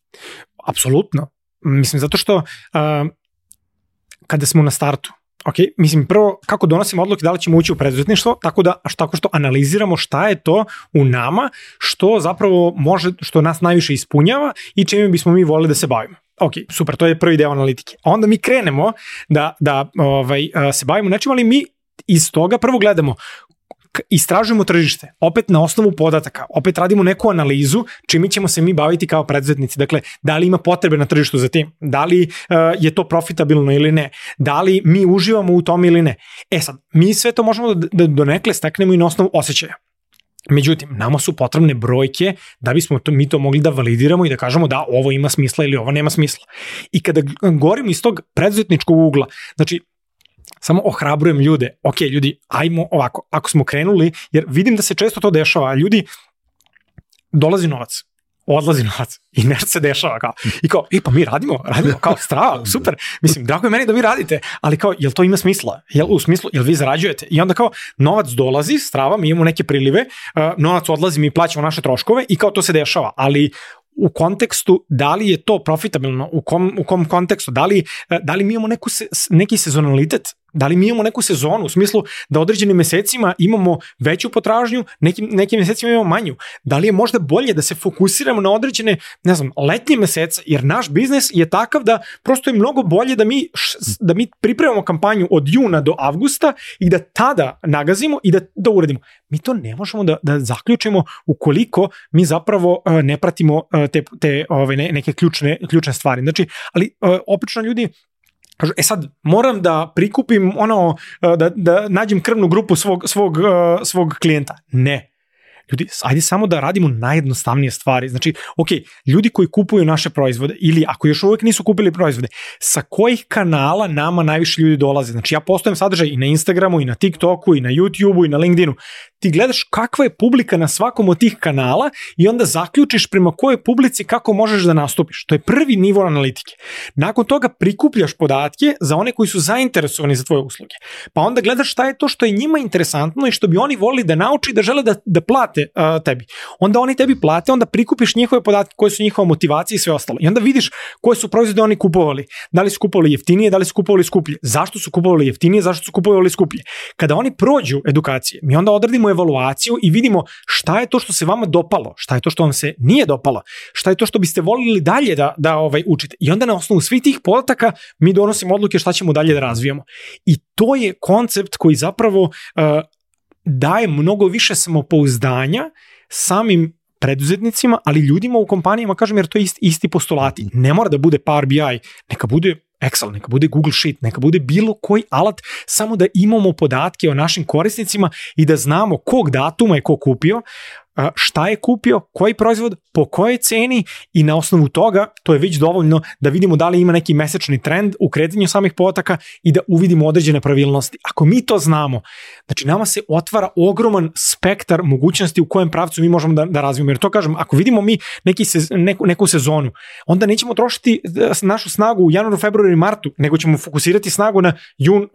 Apsolutno. Mislim, zato što kada smo na startu, mislim prvo kako donosimo odluke da li ćemo ući u preduzetništvo, tako što analiziramo šta je to u nama što zapravo može, što nas najviše ispunjava i čime bismo mi volili da se bavimo. Ok, super, to je prvi deo analitike. A onda mi krenemo da se bavimo nečim, ali mi iz toga prvo gledamo, istražujemo tržište, opet na osnovu podataka, opet radimo neku analizu čime ćemo se mi baviti kao preduzetnici. Dakle, da li ima potrebe na tržištu za tim, da li je to profitabilno ili ne, da li mi uživamo u tom ili ne. Sad, mi sve to možemo da donekle steknemo i na osnovu osjećaja. Međutim, nama su potrebne brojke da bismo mi to mogli da validiramo i da kažemo da ovo ima smisla ili ovo nema smisla. I kada govorimo iz tog preduzetničkog ugla, znači, samo ohrabrujem ljude, ok, ljudi, ajmo ovako, ako smo krenuli, jer vidim da se često to dešava, ljudi, dolazi novac, odlazi novac i nešto se dešava kao, i kao, pa mi radimo, kao strava, super, mislim, drago je meni da vi radite, ali kao, jel to ima smisla, jel vi zarađujete, i onda kao, novac dolazi, strava, mi imamo neke prilive, novac odlazi, mi plaćamo naše troškove i kao to se dešava, ali u kontekstu da li je to profitabilno, u kom kontekstu, da li mi imamo neki sezonalitet, da li mi imamo neku sezonu u smislu da određenim mesecima imamo veću potražnju, nekim mesecima imamo manju, da li je možda bolje da se fokusiramo na određene, letnje mesece, jer naš biznis je takav da prosto je mnogo bolje da mi pripremamo kampanju od juna do avgusta i da tada nagazimo i da uradimo. Mi to ne možemo da zaključimo ukoliko mi zapravo ne pratimo te neke ključne stvari. Znači, ali obično ljudi sad, moram da prikupim da nađem krvnu grupu svog klijenta. Ne. Ljudi, ajde samo da radimo najjednostavnije stvari. Znači, ok, ljudi koji kupuju naše proizvode ili ako još uvijek nisu kupili proizvode, sa kojih kanala nama najviše ljudi dolaze? Znači, ja postavim sadržaj i na Instagramu, i na TikToku, i na YouTubeu, i na LinkedInu. Ti gledaš kakva je publika na svakom od tih kanala i onda zaključiš prema kojoj publici kako možeš da nastupiš. To je prvi nivo analitike. Nakon toga prikupljaš podatke za one koji su zainteresovani za tvoje usluge. Pa onda gledaš šta je to što je njima interesantno i što bi oni volili da nauči i da žele da plate tebi. Onda oni tebi plate, onda prikupiš njihove podatke koje su njihova motivacija i sve ostalo. I onda vidiš koje su proizvode oni kupovali. Da li su kupovali jeftinije, da li su kupovali skuplje. Zašto su kupovali jeftinije, zašto su kupovali skuplje. Kada oni prođu edukacije, mi onda odradimo evaluaciju i vidimo šta je to što se vama dopalo, šta je to što vam se nije dopalo, šta je to što biste volili dalje da učite. I onda na osnovu svih tih podataka mi donosimo odluke šta ćemo dalje da razvijamo. I to je koncept koji zapravo daje mnogo više samopouzdanja samim preduzetnicima, ali ljudima u kompanijama, kažem, jer to je isti postulati. Ne mora da bude Power BI, neka bude Excel, neka bude Google Sheet, neka bude bilo koji alat, samo da imamo podatke o našim korisnicima i da znamo kog datuma je ko kupio, šta je kupio, koji proizvod, po kojoj ceni i na osnovu toga to je već dovoljno da vidimo da li ima neki mesečni trend u kretanju samih podataka i da uvidimo određene pravilnosti. Ako mi to znamo, znači nama se otvara ogroman spektar mogućnosti u kojem pravcu mi možemo da razvijemo. Jer to kažem, ako vidimo mi neku sezonu, onda nećemo trošiti našu snagu u januaru, februaru i martu, nego ćemo fokusirati snagu na jun,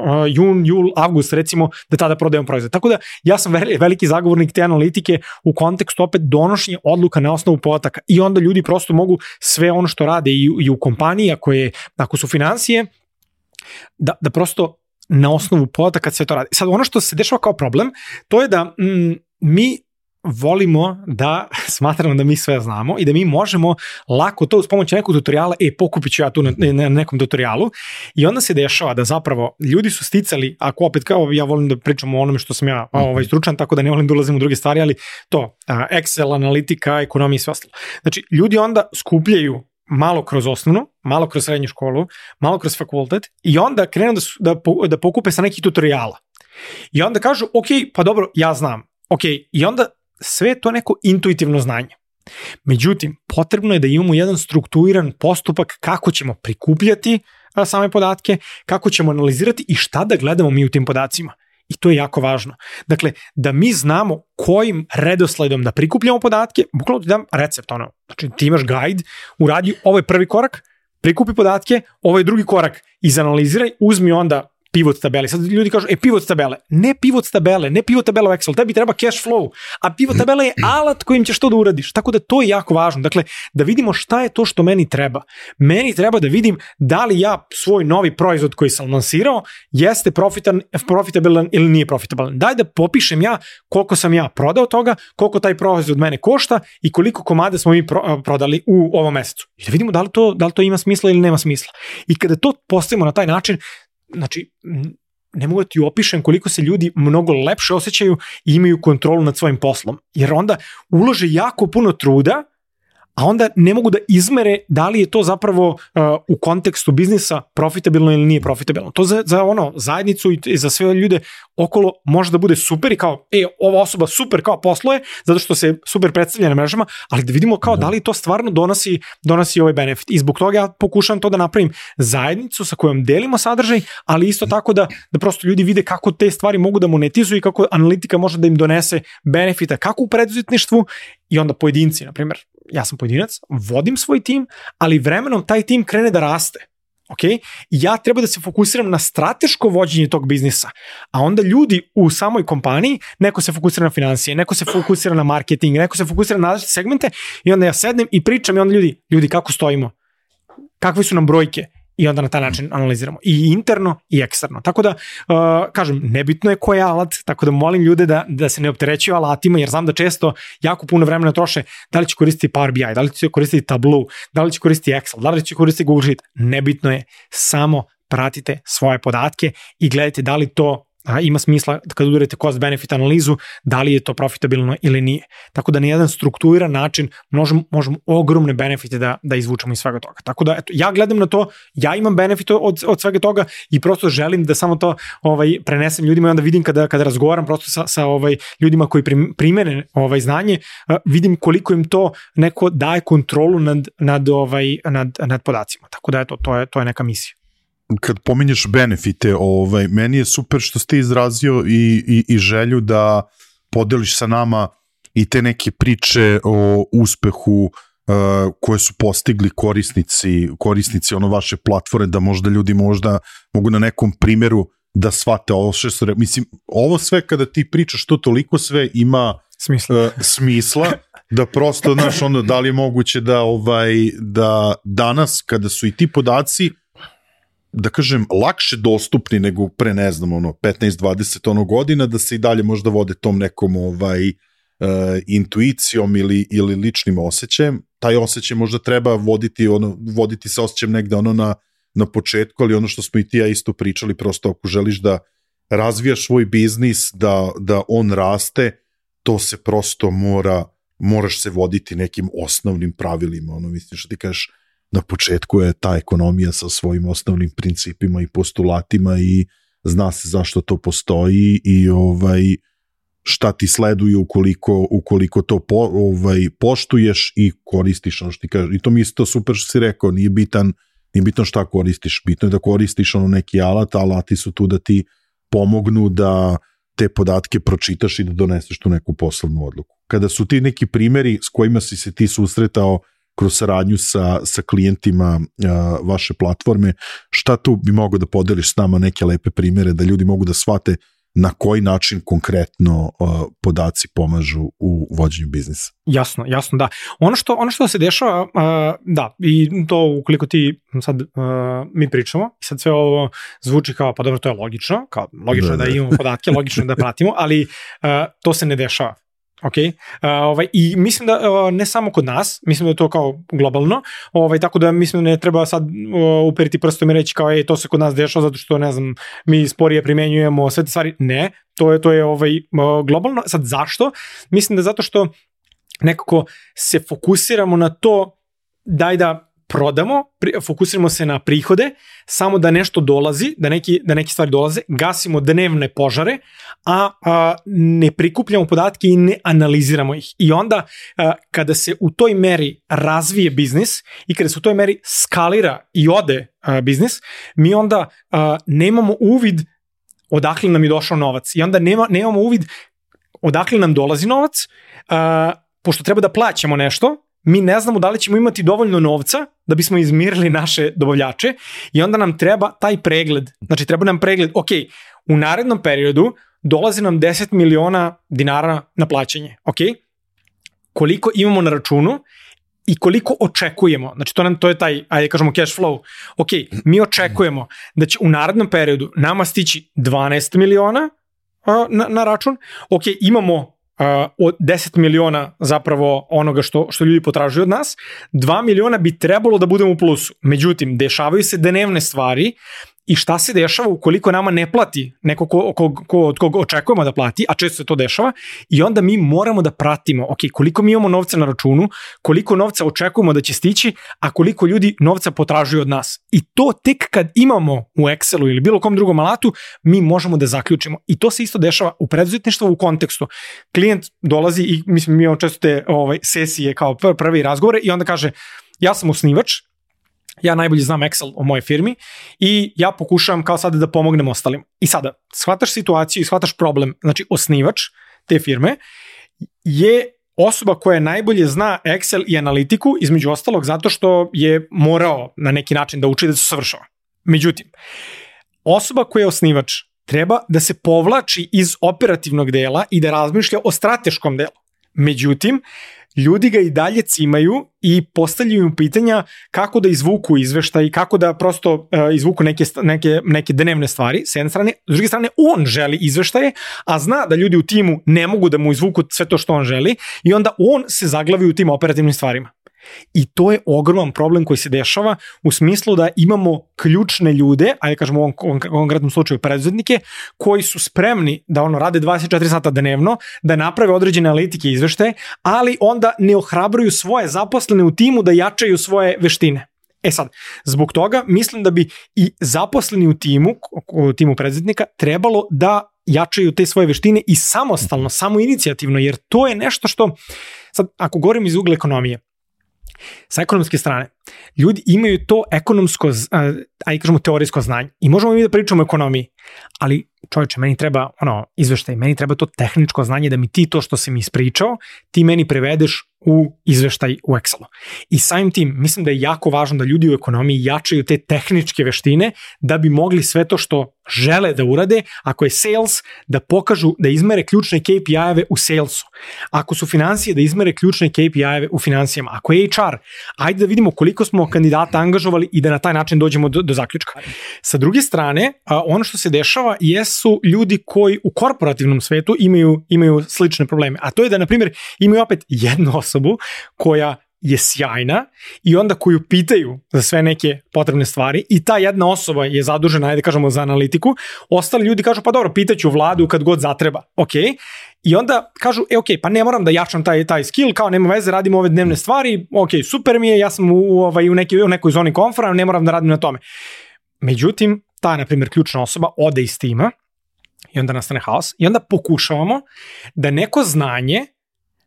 jul, avgust, recimo, da tada prodajemo proizvod. Tako da ja sam veliki zagovornik te analitike u kontekstu opet donošenja odluka na osnovu podataka i onda ljudi prosto mogu sve ono što rade i u kompaniji, ako su financije, da prosto na osnovu podataka sve to radi. Sad ono što se dešava kao problem, to je da mi volimo da smatramo da mi sve znamo i da mi možemo lako to uz pomoć nekog tutoriala, pokupit ću ja tu na nekom tutorialu, i onda se dešava da zapravo ljudi su sticali, ako opet kao ja volim da pričam o onome što sam ja stručan, tako da ne volim da ulazim u druge stvari, ali to, Excel, analitika, ekonomija i sve ostalo. Znači, ljudi onda skupljaju malo kroz osnovnu, malo kroz srednju školu, malo kroz fakultet i onda krenu da pokupe sa nekih tutoriala. I onda kažu, ok, pa dobro, ja znam. Ok, i onda sve je to neko intuitivno znanje. Međutim, potrebno je da imamo jedan strukturiran postupak kako ćemo prikupljati same podatke, kako ćemo analizirati i šta da gledamo mi u tim podacima. I to je jako važno. Dakle, da mi znamo kojim redosledom da prikupljamo podatke, bukvalno ti dam recept, znači ti imaš guide, uradi, ovo je prvi korak, prikupi podatke, ovo je drugi korak, izanaliziraj, uzmi onda pivot tabeli. Sad ljudi kažu, pivot tabele. Ne pivot tabele, ne pivot tabela u Excel, tebi treba cash flow, a pivot tabela je alat kojim ćeš to da uradiš. Tako da to je jako važno. Dakle, da vidimo šta je to što meni treba. Meni treba da vidim da li ja svoj novi proizvod koji sam lansirao jeste profitabilan ili nije profitabilan. Daj da popišem ja koliko sam ja prodao toga, koliko taj proizvod mene košta i koliko komada smo mi prodali u ovom mesecu. I da vidimo da li to ima smisla ili nema smisla. I kada to postavimo na taj način, znači, ne mogu da ti opišem koliko se ljudi mnogo lepše osjećaju i imaju kontrolu nad svojim poslom. Jer onda ulože jako puno truda, a onda ne mogu da izmere da li je to zapravo u kontekstu biznisa profitabilno ili nije profitabilno. To za zajednicu i za sve ljude okolo može da bude super i kao, ova osoba super kao posluje, zato što se super predstavlja na mrežama, ali da vidimo kao da li to stvarno donosi ovaj benefit. I zbog toga ja pokušam to da napravim zajednicu sa kojom delimo sadržaj, ali isto tako da prosto ljudi vide kako te stvari mogu da monetizuju i kako analitika može da im donese benefita kako u preduzetništvu i onda pojedinci, na primjer, ja sam pojedinac, vodim svoj tim, ali vremenom taj tim krene da raste. Okay? Ja treba da se fokusiram na strateško vođenje tog biznisa, a onda ljudi u samoj kompaniji, neko se fokusira na financije, neko se fokusira na marketing, neko se fokusira na različite segmente i onda ja sednem i pričam i onda ljudi kako stojimo, kakve su nam brojke i onda na taj način analiziramo i interno i eksterno. Tako da, kažem, nebitno je koji je alat, tako da molim ljude da se ne opterećuju alatima, jer znam da često jako puno vremena troše da li će koristiti Power BI, da li će koristiti Tableau, da li će koristiti Excel, da li će koristiti Google Sheet. Nebitno je, samo pratite svoje podatke i gledajte da li to ima smisla kad udarite cost benefit analizu, da li je to profitabilno ili nije. Tako da na jedan strukturiran način možemo ogromne benefite da izvučemo iz svega toga. Tako da eto, ja gledam na to, ja imam benefit od svega toga i prosto želim da samo to prenesem ljudima i onda vidim kada razgovaram prosto sa ljudima koji primene znanje, vidim koliko im to neko daje kontrolu nad podacima. Tako da eto, to je neka misija. Kad pominješ benefite, meni je super što ste izrazio i želju da podeliš sa nama i te neke priče o uspehu koje su postigli korisnici vaše platforme, da možda ljudi mogu na nekom primjeru da shvate ovo što mislim, ovo sve kada ti pričaš, to toliko sve ima smisla da prosto, znaš, da li je moguće da danas kada su i ti podaci, da kažem, lakše dostupni nego pre, ne znam, 15-20 godina, da se i dalje možda vode tom nekom intuicijom ili ličnim osjećajem. Taj osjećaj možda treba voditi se osjećajem negde na početku, ali ono što smo i ti ja isto pričali, prosto ako želiš da razvijaš svoj biznis, da on raste, to se prosto moraš se voditi nekim osnovnim pravilima, mislim što ti kažeš, na početku je ta ekonomija sa svojim osnovnim principima i postulatima i zna se zašto to postoji i šta ti sleduje ukoliko to poštuješ i koristiš ono što ti kažeš. I to mi isto super što si rekao, nije bitno šta koristiš, bitno je da koristiš neki alat, alati su tu da ti pomognu da te podatke pročitaš i da doneseš tu neku poslovnu odluku. Kada su ti neki primjeri s kojima si se ti susretao kroz saradnju sa klijentima vaše platforme, šta tu bi mogao da podeliš s nama neke lepe primjere da ljudi mogu da shvate na koji način konkretno podaci pomažu u vođenju biznisa? Jasno, da. Ono što se dešava, da, i to ukoliko ti sad mi pričamo, i sad sve ovo zvuči kao, pa dobro, to je logično, da imamo podatke, logično da pratimo, ali to se ne dešava. Okay. I mislim da ne samo kod nas, mislim da je to kao globalno, tako da mislim da ne treba sad uperiti prstom i reći kao to se kod nas dešava zato što ne znam, mi sporije primenjujemo sve te stvari. Ne, to je globalno. Sad zašto? Mislim da zato što nekako se fokusiramo na to da prodamo, fokusiramo se na prihode, samo da nešto dolazi, da neke stvari dolaze, gasimo dnevne požare, a ne prikupljamo podatke i ne analiziramo ih. I onda kada se u toj meri razvije biznis i kada se u toj meri skalira i ode biznis, mi onda nemamo uvid odakle nam je došao novac. I onda nemamo uvid odakle nam dolazi novac, pošto treba da plaćamo nešto, mi ne znamo da li ćemo imati dovoljno novca da bismo izmirili naše dobavljače i onda nam treba taj pregled. Znači, treba nam pregled, ok, u narednom periodu dolazi nam 10 miliona dinara na plaćanje, ok? Koliko imamo na računu i koliko očekujemo. Znači, to je taj, ajde kažemo, cash flow. Ok, mi očekujemo da će u narednom periodu nama stići 12 miliona na račun. Ok, imamo od 10 miliona zapravo onoga što ljudi potražuju od nas, 2 miliona bi trebalo da budemo u plusu. Međutim, dešavaju se dnevne stvari i šta se dešava ukoliko nama ne plati neko od koga očekujemo da plati, a često se to dešava, i onda mi moramo da pratimo, ok, koliko mi imamo novca na računu, koliko novca očekujemo da će stići, a koliko ljudi novca potražuju od nas. I to tek kad imamo u Excelu ili bilo kom drugom alatu, mi možemo da zaključimo. I to se isto dešava u preduzetništvu u kontekstu. Klijent dolazi i mi imamo često te sesije kao prvi razgovore i onda kaže, ja sam osnivač, ja najbolje znam Excel o mojoj firmi i ja pokušavam kao sada da pomognem ostalim. I sada, shvataš situaciju i shvataš problem. Znači, osnivač te firme je osoba koja najbolje zna Excel i analitiku, između ostalog zato što je morao na neki način da uči da se savršava. Međutim, osoba koja je osnivač treba da se povlači iz operativnog dela i da razmišlja o strateškom delu. Međutim, ljudi ga i dalje cimaju i postavljaju im pitanja kako da izvuku izveštaj, kako da prosto izvuku neke dnevne stvari, s jedne strane. S druge strane, on želi izveštaje, a zna da ljudi u timu ne mogu da mu izvuku sve to što on želi i onda on se zaglavi u tim operativnim stvarima. I to je ogroman problem koji se dešava u smislu da imamo ključne ljude, ajde kažemo u ovom konkretnom slučaju preduzetnike, koji su spremni da rade 24 sata dnevno, da naprave određene analitike i izveštaje, ali onda ne ohrabruju svoje zaposlene u timu da jačaju svoje veštine. E sad, zbog toga mislim da bi i zaposleni u timu preduzetnika trebalo da jačaju te svoje veštine i samostalno, samoinicijativno, jer to je nešto što, sad ako govorim iz ugla ekonomije, sa ekonomske strane, ljudi imaju to ekonomsko, ajde kažemo teorijsko znanje i možemo mi da pričamo o ekonomiji, ali čovječe, meni treba izveštaj, meni treba to tehničko znanje da mi ti to što si mi ispričao, ti meni prevedeš u izveštaj u Excelu. I samim tim, mislim da je jako važno da ljudi u ekonomiji jačaju te tehničke veštine da bi mogli sve to što žele da urade, ako je sales, da pokažu, da izmere ključne KPI-eve u salesu. Ako su financije, da izmere ključne KPI-eve u financijama. Ako je HR, ajde da vidimo koliko smo kandidata angažovali i da na taj način dođemo do zaključka. Sa druge strane, ono što se dešava jesu ljudi koji u korporativnom svetu imaju slične probleme. A to je da, na primjer, imaju opet jednu osobu koja je sjajna i onda koju pitaju za sve neke potrebne stvari i ta jedna osoba je zadužena, ajde kažemo, za analitiku, ostali ljudi kažu, pa dobro, pitaću Vladu kad god zatreba, ok, i onda kažu, ok, pa ne moram da jačam taj skill, kao nema veze, radimo ove dnevne stvari, ok, super mi je, ja sam u nekoj zoni komfora, ne moram da radim na tome. Međutim, ta, na primjer, ključna osoba ode iz tima i onda nastane haos i onda pokušavamo da neko znanje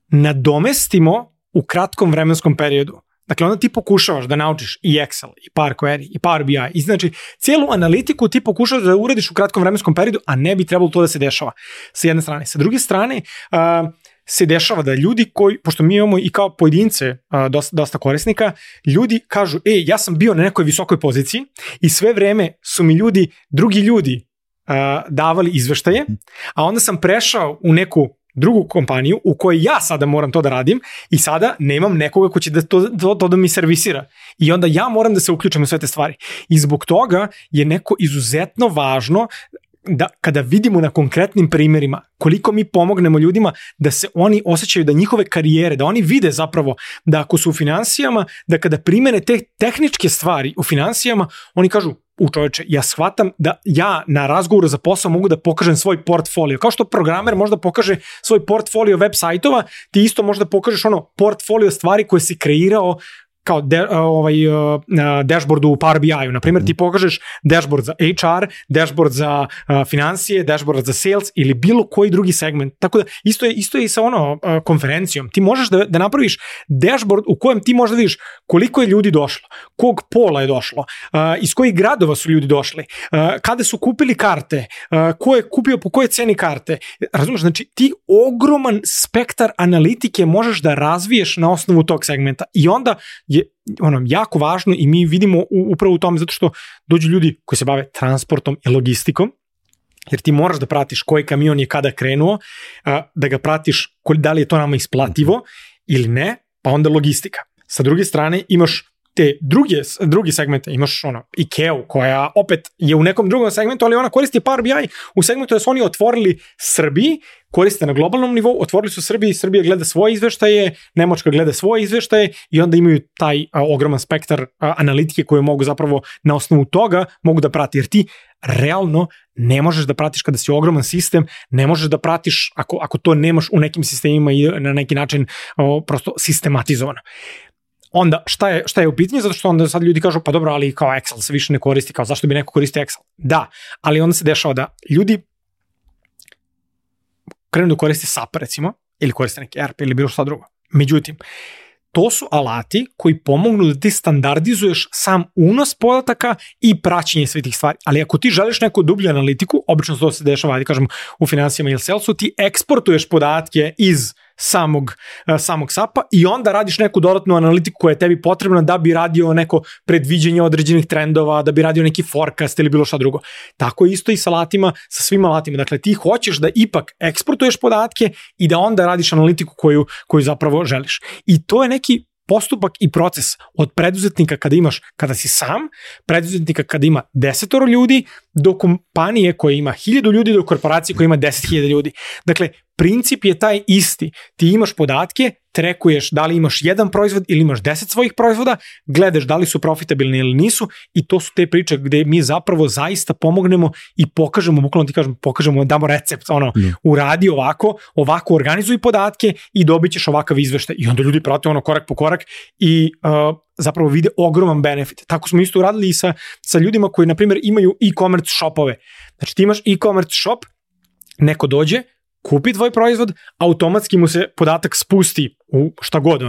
nadomestimo u kratkom vremenskom periodu. Dakle, onda ti pokušavaš da naučiš i Excel, i Power Query, i Power BI, i znači cijelu analitiku ti pokušavaš da uradiš u kratkom vremenskom periodu, a ne bi trebalo to da se dešava sa jedne strane. Sa druge strane, se dešava da ljudi koji, pošto mi imamo i kao pojedince dosta korisnika, ljudi kažu, ja sam bio na nekoj visokoj poziciji i sve vreme su mi drugi ljudi davali izveštaje, a onda sam prešao u neku drugu kompaniju u kojoj ja sada moram to da radim i sada nemam nekoga ko će to da mi servisira. I onda ja moram da se uključim u sve te stvari. I zbog toga je neko izuzetno važno da kada vidimo na konkretnim primjerima koliko mi pomognemo ljudima da se oni osjećaju da njihove karijere, da oni vide zapravo da ako su u finansijama, da kada primene te tehničke stvari u finansijama, oni kažu, čoveče, ja shvatam da ja na razgovoru za posao mogu da pokažem svoj portfolio. Kao što programer možda pokaže svoj portfolio web sajtova, ti isto možda pokažeš portfolio stvari koje si kreirao kao dashboardu u Power BI-u. Naprimjer, ti pokažeš dashboard za HR, dashboard za financije, dashboard za sales ili bilo koji drugi segment. Tako da isto je i sa konferencijom. Ti možeš da napraviš dashboard u kojem ti možda vidiš koliko je ljudi došlo, kog pola je došlo, iz kojih gradova su ljudi došli, kada su kupili karte, ko je kupio po kojoj ceni karte. Razumiješ, znači ti ogroman spektar analitike možeš da razviješ na osnovu tog segmenta i onda je jako važno i mi vidimo upravo u tome zato što dođu ljudi koji se bave transportom i logistikom, jer ti moraš da pratiš koji kamion je kada krenuo, da ga pratiš da li je to nama isplativo ili ne, pa onda logistika. Sa druge strane imaš te drugi segmente, imaš IKEA koja opet je u nekom drugom segmentu, ali ona koristi Power BI u segmentu da su oni otvorili Srbiji, koriste na globalnom nivou, otvorili su Srbiji, Srbija gleda svoje izveštaje, Nemačka gleda svoje izveštaje i onda imaju taj ogroman spektar analitike koje mogu zapravo na osnovu toga mogu da prati, jer ti realno ne možeš da pratiš kada si ogroman sistem, ne možeš da pratiš ako to nemaš u nekim sistemima i na neki način prosto sistematizovano. Onda, šta je u pitanju? Zato što onda sad ljudi kažu, pa dobro, ali kao Excel se više ne koristi, kao zašto bi neko koristio Excel? Da, ali onda se dešava da ljudi krenu da koriste SAP, recimo, ili koriste neki ERP ili bilo šta drugo. Međutim, to su alati koji pomognu da ti standardizuješ sam unos podataka i praćenje svih tih stvari. Ali ako ti želiš neku dublju analitiku, obično to se dešava, da kažem, u financijama ili salesu, ti eksportuješ podatke iz samog SAP-a i onda radiš neku dodatnu analitiku koja je tebi potrebna da bi radio neko predviđenje određenih trendova, da bi radio neki forecast ili bilo šta drugo. Tako isto i sa alatima, sa svim alatima. Dakle, ti hoćeš da ipak eksportuješ podatke i da onda radiš analitiku koju zapravo želiš. I to je neki postupak i proces od preduzetnika kada si sam, preduzetnika kada ima 10 ljudi, do kompanije koja ima 1000 ljudi, do korporacije koja ima 10.000 ljudi. Dakle, princip je taj isti. Ti imaš podatke, trekuješ da li imaš jedan proizvod ili imaš 10 svojih proizvoda, gledaš da li su profitabilni ili nisu i to su te priče gde mi zapravo zaista pomognemo i pokažemo, bukvalno ti kažem, damo recept, uradi ovako organizuj podatke i dobit ćeš ovakav izveštaj. I onda ljudi prate korak po korak i zapravo vide ogroman benefit. Tako smo isto uradili i sa ljudima koji, na primjer, imaju e-commerce shopove. Znači ti imaš e-commerce shop, neko dođe, kupi tvoj proizvod, automatski mu se podatak spusti u šta god,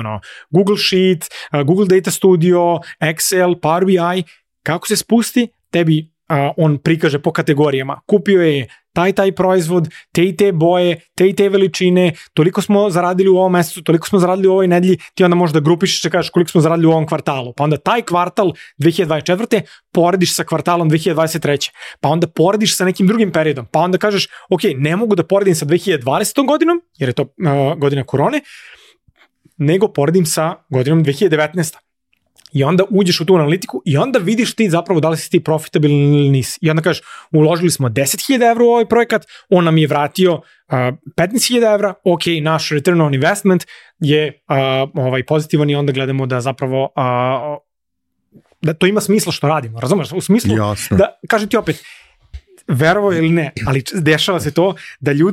Google Sheet, Google Data Studio, Excel, Power BI, kako se spusti, tebi on prikaže po kategorijama. Kupio je taj proizvod, te boje, te veličine, toliko smo zaradili u ovom mesecu, toliko smo zaradili u ovoj nedelji, ti onda možda grupiš i kažeš koliko smo zaradili u ovom kvartalu. Pa onda taj kvartal 2024. porediš sa kvartalom 2023. Pa onda porediš sa nekim drugim periodom. Pa onda kažeš, ok, ne mogu da poredim sa 2020. godinom, jer je to godina korone, nego poredim sa godinom 2019. I onda uđeš u tu analitiku i onda vidiš ti zapravo da li si ti profitabilni ili nisi. I onda kažeš, uložili smo 10.000 evra u ovaj projekat, on nam je vratio 15.000 evra, ok, naš return on investment je pozitivan i onda gledamo da zapravo da to ima smisla što radimo, razumeš? U smislu da, kažem ti opet, verovo ili ne, ali dešava se to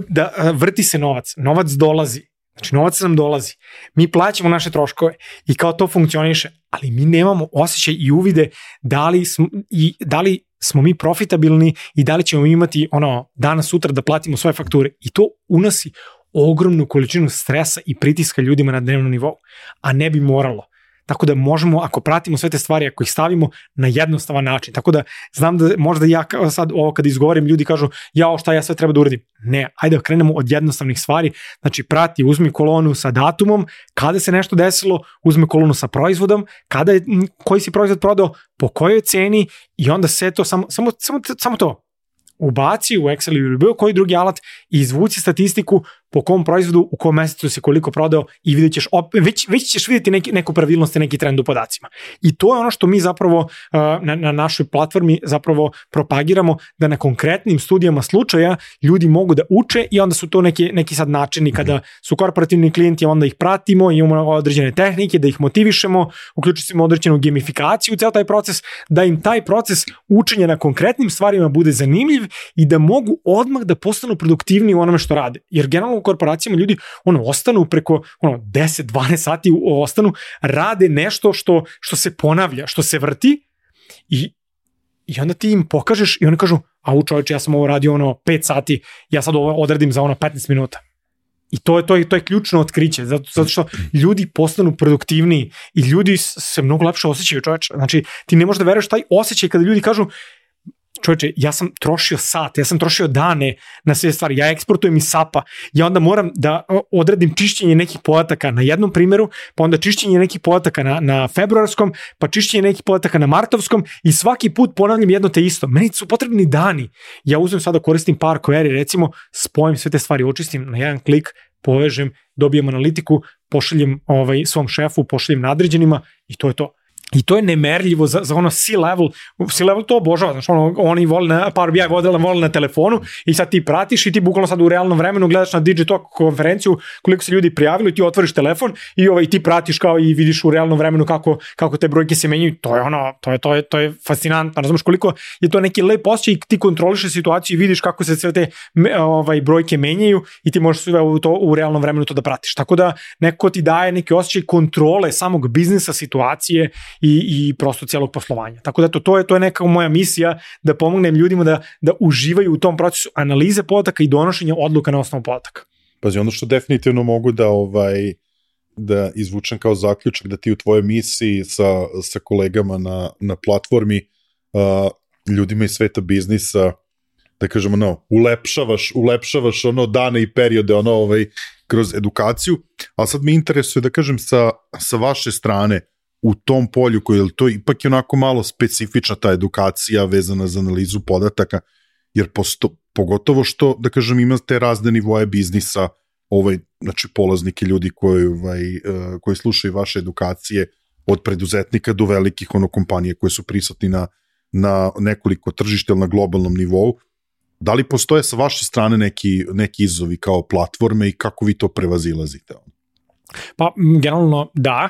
da vrti se novac dolazi. Znači, novac nam dolazi, mi plaćamo naše troškove i kao to funkcioniše, ali mi nemamo osjećaj i uvide da li smo mi profitabilni i da li ćemo imati danas sutra da platimo svoje fakture. I to unosi ogromnu količinu stresa i pritiska ljudima na dnevnom nivou, a ne bi moralo. Tako da možemo, ako pratimo sve te stvari, ako ih stavimo na jednostavan način. Tako da znam da možda ja sad ovo kad izgovorim, ljudi kažu, šta ja sve treba da uradim. Ne, ajde da krenemo od jednostavnih stvari. Znači prati, uzmi kolonu sa datumom, kada se nešto desilo, uzmi kolonu sa proizvodom, koji si proizvod prodao, po kojoj ceni i onda sve to, samo to. Ubaci u Excel ili bilo koji drugi alat i izvuci statistiku po kom proizvodu, u kom mesecu si koliko prodao i vidjet ćeš, već ćeš vidjeti neku pravilnost i neki trend u podacima. I to je ono što mi zapravo na našoj platformi zapravo propagiramo, da na konkretnim studijama slučaja ljudi mogu da uče i onda su to neki sad načini kada su korporativni klijenti, onda ih pratimo, imamo određene tehnike, da ih motivišemo, uključimo određenu gamifikaciju u ceo taj proces, da im taj proces učenja na konkretnim stvarima bude zanimljiv i da mogu odmah da postanu produktivniji u onome što rade. Jer generalno u korporacijama ljudi ostanu preko 10-12 sati ostanu, rade nešto što se ponavlja, što se vrti i onda ti im pokažeš i oni kažu, a čovječe, ja sam ovo radio 5 sati, ja sad ovo odradim za 15 minuta. I to je ključno otkriće, zato što ljudi postanu produktivniji i ljudi se mnogo lepše osjećaju, čovječe. Znači, ti ne možeš da veruješ taj osjećaj kada ljudi kažu, čovječe, ja sam trošio sat, ja sam trošio dane na sve stvari, ja eksportujem iz SAP-a, ja onda moram da odradim čišćenje nekih podataka na jednom primjeru, pa onda čišćenje nekih podataka na februarskom, pa čišćenje nekih podataka na martovskom i svaki put ponavljam jedno te isto. Meni su potrebni dani. Ja uzmem sada koristim Power Query, recimo, spojim sve te stvari, očistim na jedan klik, povežem, dobijem analitiku, pošaljem svom šefu, pošaljem nadređenima i to je to. I to je nemerljivo za C-level. C-level to obožava. Znači, oni vole na Power BI, vole na telefonu i sad ti pratiš i ti bukvalno sad u realnom vremenu gledaš na Digitalk konferenciju koliko se ljudi prijavili i ti otvoriš telefon i ti pratiš kao i vidiš u realnom vremenu kako te brojke se menjaju. To je fascinantno. Razumeš koliko je to neki lep osjećaj i ti kontrolišeš situaciju i vidiš kako se sve te brojke menjaju i ti možeš sve u realnom vremenu to da pratiš. Tako da neko ti daje neki osjećaj kontrole samog biznisa, situacije i prosto cijelog poslovanja. Tako da to je neka moja misija da pomognem ljudima da uživaju u tom procesu analize podataka i donošenja odluka na osnovu podataka. Pazi, ono što definitivno mogu da izvučem kao zaključak, da ti u tvojoj misiji sa kolegama na platformi, ljudima iz sveta biznisa, da kažemo, ulepšavaš dane i periode kroz edukaciju, a sad me interesuje da kažem sa vaše strane u tom polju koji to ipak je onako malo specifična ta edukacija vezana za analizu podataka, jer pogotovo što, da kažem, imate razne nivoje biznisa, znači polaznike ljudi koji slušaju vaše edukacije, od preduzetnika do velikih kompanije koje su prisutni na nekoliko tržišta ili na globalnom nivou. Da li postoje sa vaše strane neki izazovi kao platforme i kako vi to prevazilazite? Pa, generalno da,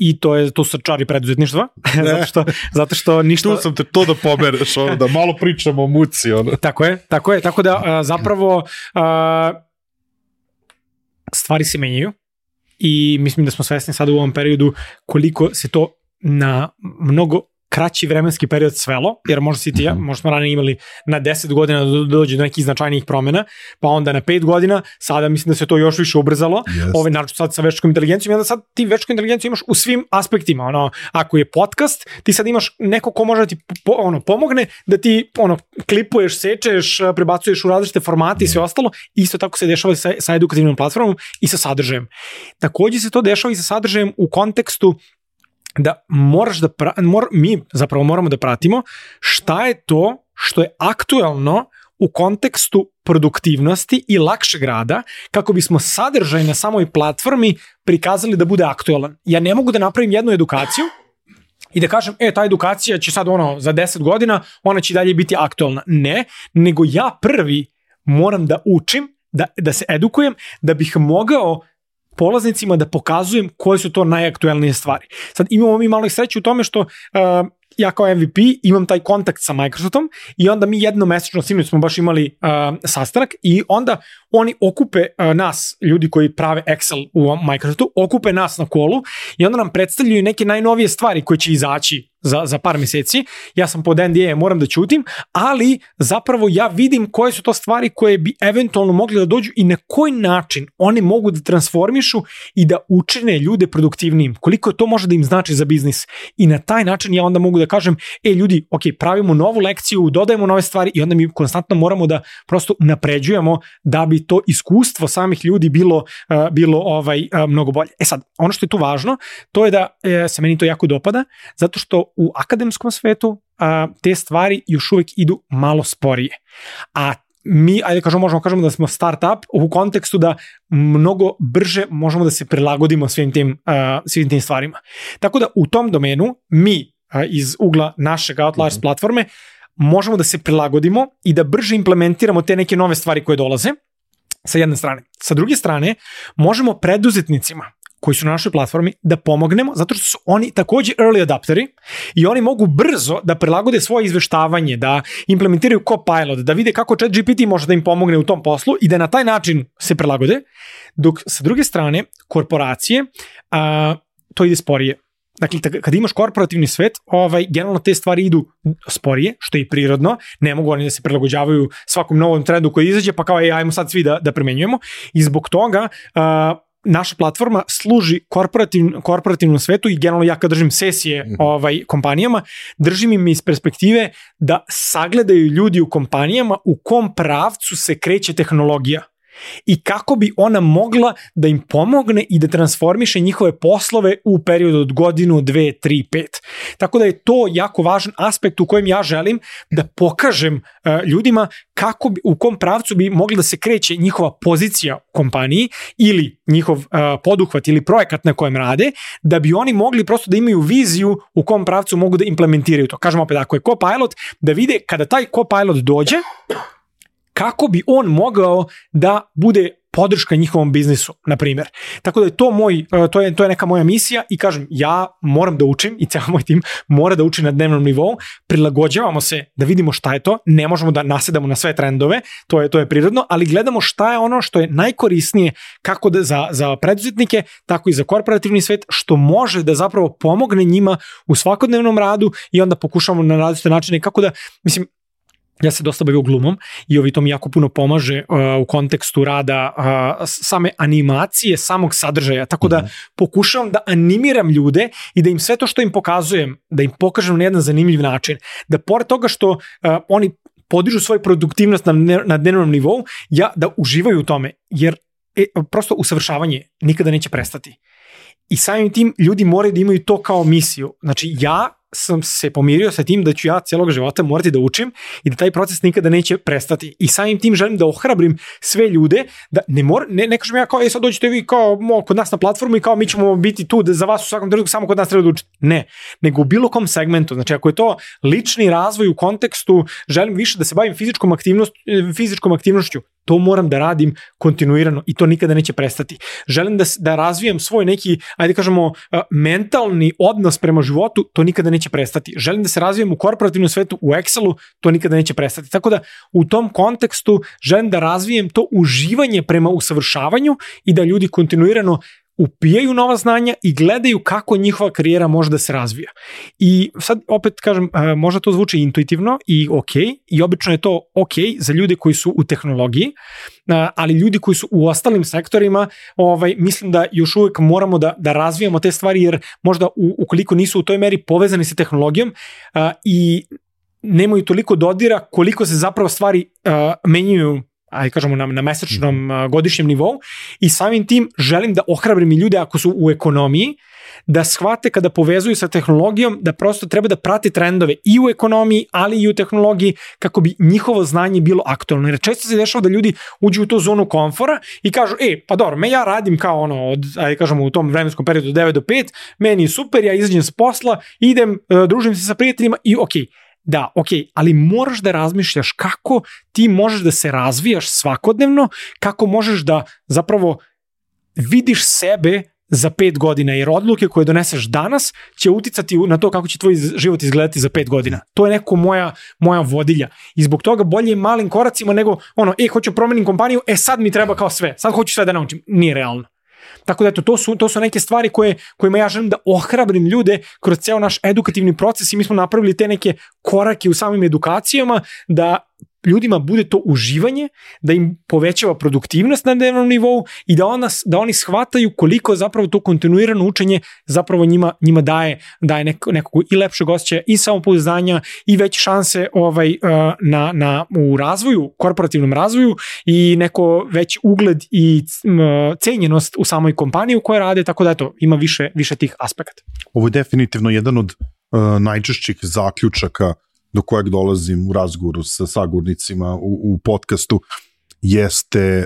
i to su čari preduzetništva, zato što ništa... Tu sam te to da pomereš, da malo pričamo o muci. Tako da zapravo stvari se menjaju i mislim da smo svesni sada u ovom periodu koliko se to na mnogo kraći vremenski period svelo, jer možda smo ranije imali na 10 godina da dođe do nekih značajnijih promjena, pa onda na 5 godina, sada mislim da se to još više ubrzalo, naravno sad sa veštačkom inteligencijom, i onda sad ti veštačku inteligenciju imaš u svim aspektima, ako je podcast, ti sad imaš neko ko može da ti pomogne, da ti klipuješ, sečeš, prebacuješ u različite formate i sve ostalo, isto tako se dešava sa edukativnom platformom i sa sadržajem. Također se to dešava i sa sadržajem u kontekstu da mi zapravo moramo da pratimo šta je to što je aktuelno u kontekstu produktivnosti i lakšeg rada, kako bismo sadržaj na samoj platformi prikazali da bude aktuelan. Ja ne mogu da napravim jednu edukaciju i da kažem, ta edukacija će sad za 10 godina, ona će dalje biti aktuelna. Ne, nego ja prvi moram da učim, da se edukujem, da bih mogao polaznicima da pokazujem koje su to najaktuelnije stvari. Sad imamo mi malo sreće u tome što ja kao MVP imam taj kontakt sa Microsoftom i onda mi jednomesečno, sinoć smo baš imali sastanak i onda oni okupe nas, ljudi koji prave Excel u Microsoftu, okupe nas na kolu i onda nam predstavljaju neke najnovije stvari koje će izaći za par mjeseci. Ja sam pod NDA, moram da ćutim, ali zapravo ja vidim koje su to stvari koje bi eventualno mogli da dođu i na koji način one mogu da transformišu i da učine ljude produktivnijim. Koliko to može da im znači za biznis. I na taj način ja onda mogu da kažem, ljudi, ok, pravimo novu lekciju, dodajemo nove stvari i onda mi konstantno moramo da prosto napređujemo da bi to iskustvo samih ljudi bilo mnogo bolje. Sad, ono što je tu važno, to je da se meni to jako dopada, zato što u akademskom svetu te stvari još uvijek idu malo sporije. A mi, možemo kažemo da smo startup u kontekstu da mnogo brže možemo da se prilagodimo svim tim stvarima. Tako da u tom domenu mi iz ugla našeg Outliers platforme možemo da se prilagodimo i da brže implementiramo te neke nove stvari koje dolaze sa jedne strane. Sa druge strane, možemo preduzetnicima koji su na našoj platformi da pomognemo, zato što su oni takođe early adapteri i oni mogu brzo da prilagode svoje izveštavanje, da implementiraju Copilot, da vide kako ChatGPT može da im pomogne u tom poslu i da na taj način se prilagode, dok sa druge strane korporacije to ide sporije. Dakle, kad imaš korporativni svet, generalno te stvari idu sporije, što je i prirodno, ne mogu oni da se prilagođavaju svakom novom trendu koji izađe, pa kao ajmo sad svi da primenjujemo i zbog toga naša platforma služi korporativnom svetu i generalno ja kad držim sesije kompanijama, držim im iz perspektive da sagledaju ljudi u kompanijama u kom pravcu se kreće tehnologija i kako bi ona mogla da im pomogne i da transformiše njihove poslove u periodu od godinu, 2, 3, 5. Tako da je to jako važan aspekt u kojem ja želim da pokažem ljudima u kom pravcu bi mogli da se kreće njihova pozicija u kompaniji ili njihov poduhvat ili projekat na kojem rade, da bi oni mogli prosto da imaju viziju u kom pravcu mogu da implementiraju to. Kažem opet, ako je Copilot, da vide kada taj Copilot dođe, kako bi on mogao da bude podrška njihovom biznisu, na primjer. Tako da je to je neka moja misija i kažem, ja moram da učim i cijel moj tim mora da uči na dnevnom nivou, prilagođavamo se da vidimo šta je to, ne možemo da nasedamo na sve trendove, to je prirodno, ali gledamo šta je ono što je najkorisnije kako da za preduzetnike, tako i za korporativni svet, što može da zapravo pomogne njima u svakodnevnom radu i onda pokušamo na različite načine kako da, mislim, ja se dosta bavio glumom i to mi jako puno pomaže u kontekstu rada same animacije, samog sadržaja, tako da pokušavam da animiram ljude i da im sve to što im pokazujem, da im pokažem na jedan zanimljiv način, da pored toga što oni podižu svoju produktivnost na dnevnom nivou, da uživaju u tome, jer prosto usavršavanje nikada neće prestati. I samim tim ljudi moraju da imaju to kao misiju. Znači ja sam se pomirio sa tim da ću ja cijelog života morati da učim i da taj proces nikada neće prestati. I samim tim želim da ohrabrim sve ljude da ne kažem ja kao sad dođete vi kao kod nas na platformu i kao mi ćemo biti tu za vas u svakom trenutku samo kod nas treba da učite. Ne, nego u bilo kom segmentu. Znači ako je to lični razvoj u kontekstu želim više da se bavim fizičkom aktivnošću, to moram da radim kontinuirano i to nikada neće prestati. Želim da razvijem svoj neki, ajde kažemo, mentalni odnos prema životu, to nikada neće prestati. Želim da se razvijem u korporativnom svetu, u Excelu, to nikada neće prestati. Tako da u tom kontekstu želim da razvijem to uživanje prema usavršavanju i da ljudi kontinuirano upijaju nova znanja i gledaju kako njihova karijera može da se razvija. I sad opet kažem, možda to zvuči intuitivno i ok, i obično je to ok za ljude koji su u tehnologiji, ali ljudi koji su u ostalim sektorima, mislim da još uvijek moramo da razvijamo te stvari, jer možda ukoliko nisu u toj meri povezani sa tehnologijom i nemaju toliko dodira koliko se zapravo stvari menjaju, ajde kažemo na mesečnom godišnjem nivou, i samim tim želim da ohrabrim i ljude ako su u ekonomiji, da shvate kada povezuju sa tehnologijom da prosto treba da prate trendove i u ekonomiji, ali i u tehnologiji kako bi njihovo znanje bilo aktualno. Jer često se dešava da ljudi uđu u tu zonu komfora i kažu, pa dobro, ja radim kao ajde kažemo u tom vremenskom periodu 9 do 5, meni je super, ja izađem s posla, idem, družim se sa prijateljima i ok. Da, ok, ali moraš da razmišljaš kako ti možeš da se razvijaš svakodnevno, kako možeš da zapravo vidiš sebe za 5 godina, jer odluke koje doneseš danas će uticati na to kako će tvoj život izgledati za 5 godina. To je neko moja vodilja. I zbog toga bolje je malim koracima nego hoću promenim kompaniju, sad mi treba kao sve, sad hoću sve da naučim. Nije realno. Tako da to su neke stvari kojima ja želim da ohrabrim ljude kroz ceo naš edukativni proces i mi smo napravili te neke korake u samim edukacijama da ljudima bude to uživanje, da im povećava produktivnost na dnevnom nivou i da oni shvataju koliko zapravo to kontinuirano učenje zapravo njima daje nekog i lepšeg osjećaja i samopouzdanja i veće šanse u razvoju, korporativnom razvoju i neko veći ugled i cenjenost u samoj kompaniji u kojoj rade, tako da ima više tih aspekata. Ovo je definitivno jedan od najčešćih zaključaka do kojeg dolazim u razgovoru sa sagovornicima u podcastu, jeste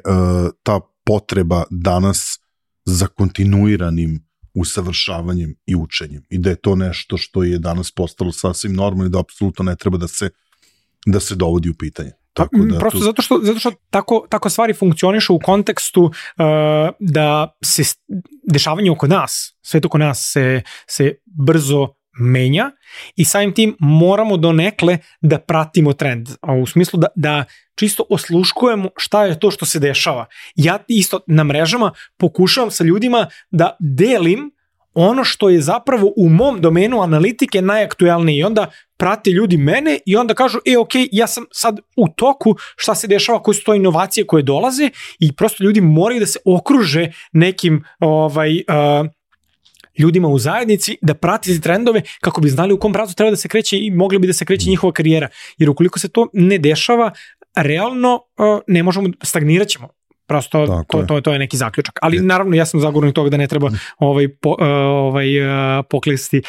ta potreba danas za kontinuiranim usavršavanjem i učenjem. I da je to nešto što je danas postalo sasvim normalno i da apsolutno ne treba da se dovodi u pitanje. Tako da, prosto zato što tako stvari funkcionišu u kontekstu da se dešavanje oko nas, sve oko nas se brzo menja i samim tim moramo donekle da pratimo trend. A u smislu da čisto osluškujemo šta je to što se dešava. Ja isto na mrežama pokušavam sa ljudima da delim ono što je zapravo u mom domenu analitike najaktuelnije i onda prate ljudi mene i onda kažu, ok, ja sam sad u toku šta se dešava, koje su to inovacije koje dolaze i prosto ljudi moraju da se okruže nekim ljudima u zajednici, da prati trendove kako bi znali u kom pravcu treba da se kreće i mogli bi da se kreće njihova karijera. Jer ukoliko se to ne dešava, realno ne možemo, stagnirat ćemo. Prosto to je neki zaključak. Ali naravno ja sam zagovornik toga da ne treba poklisti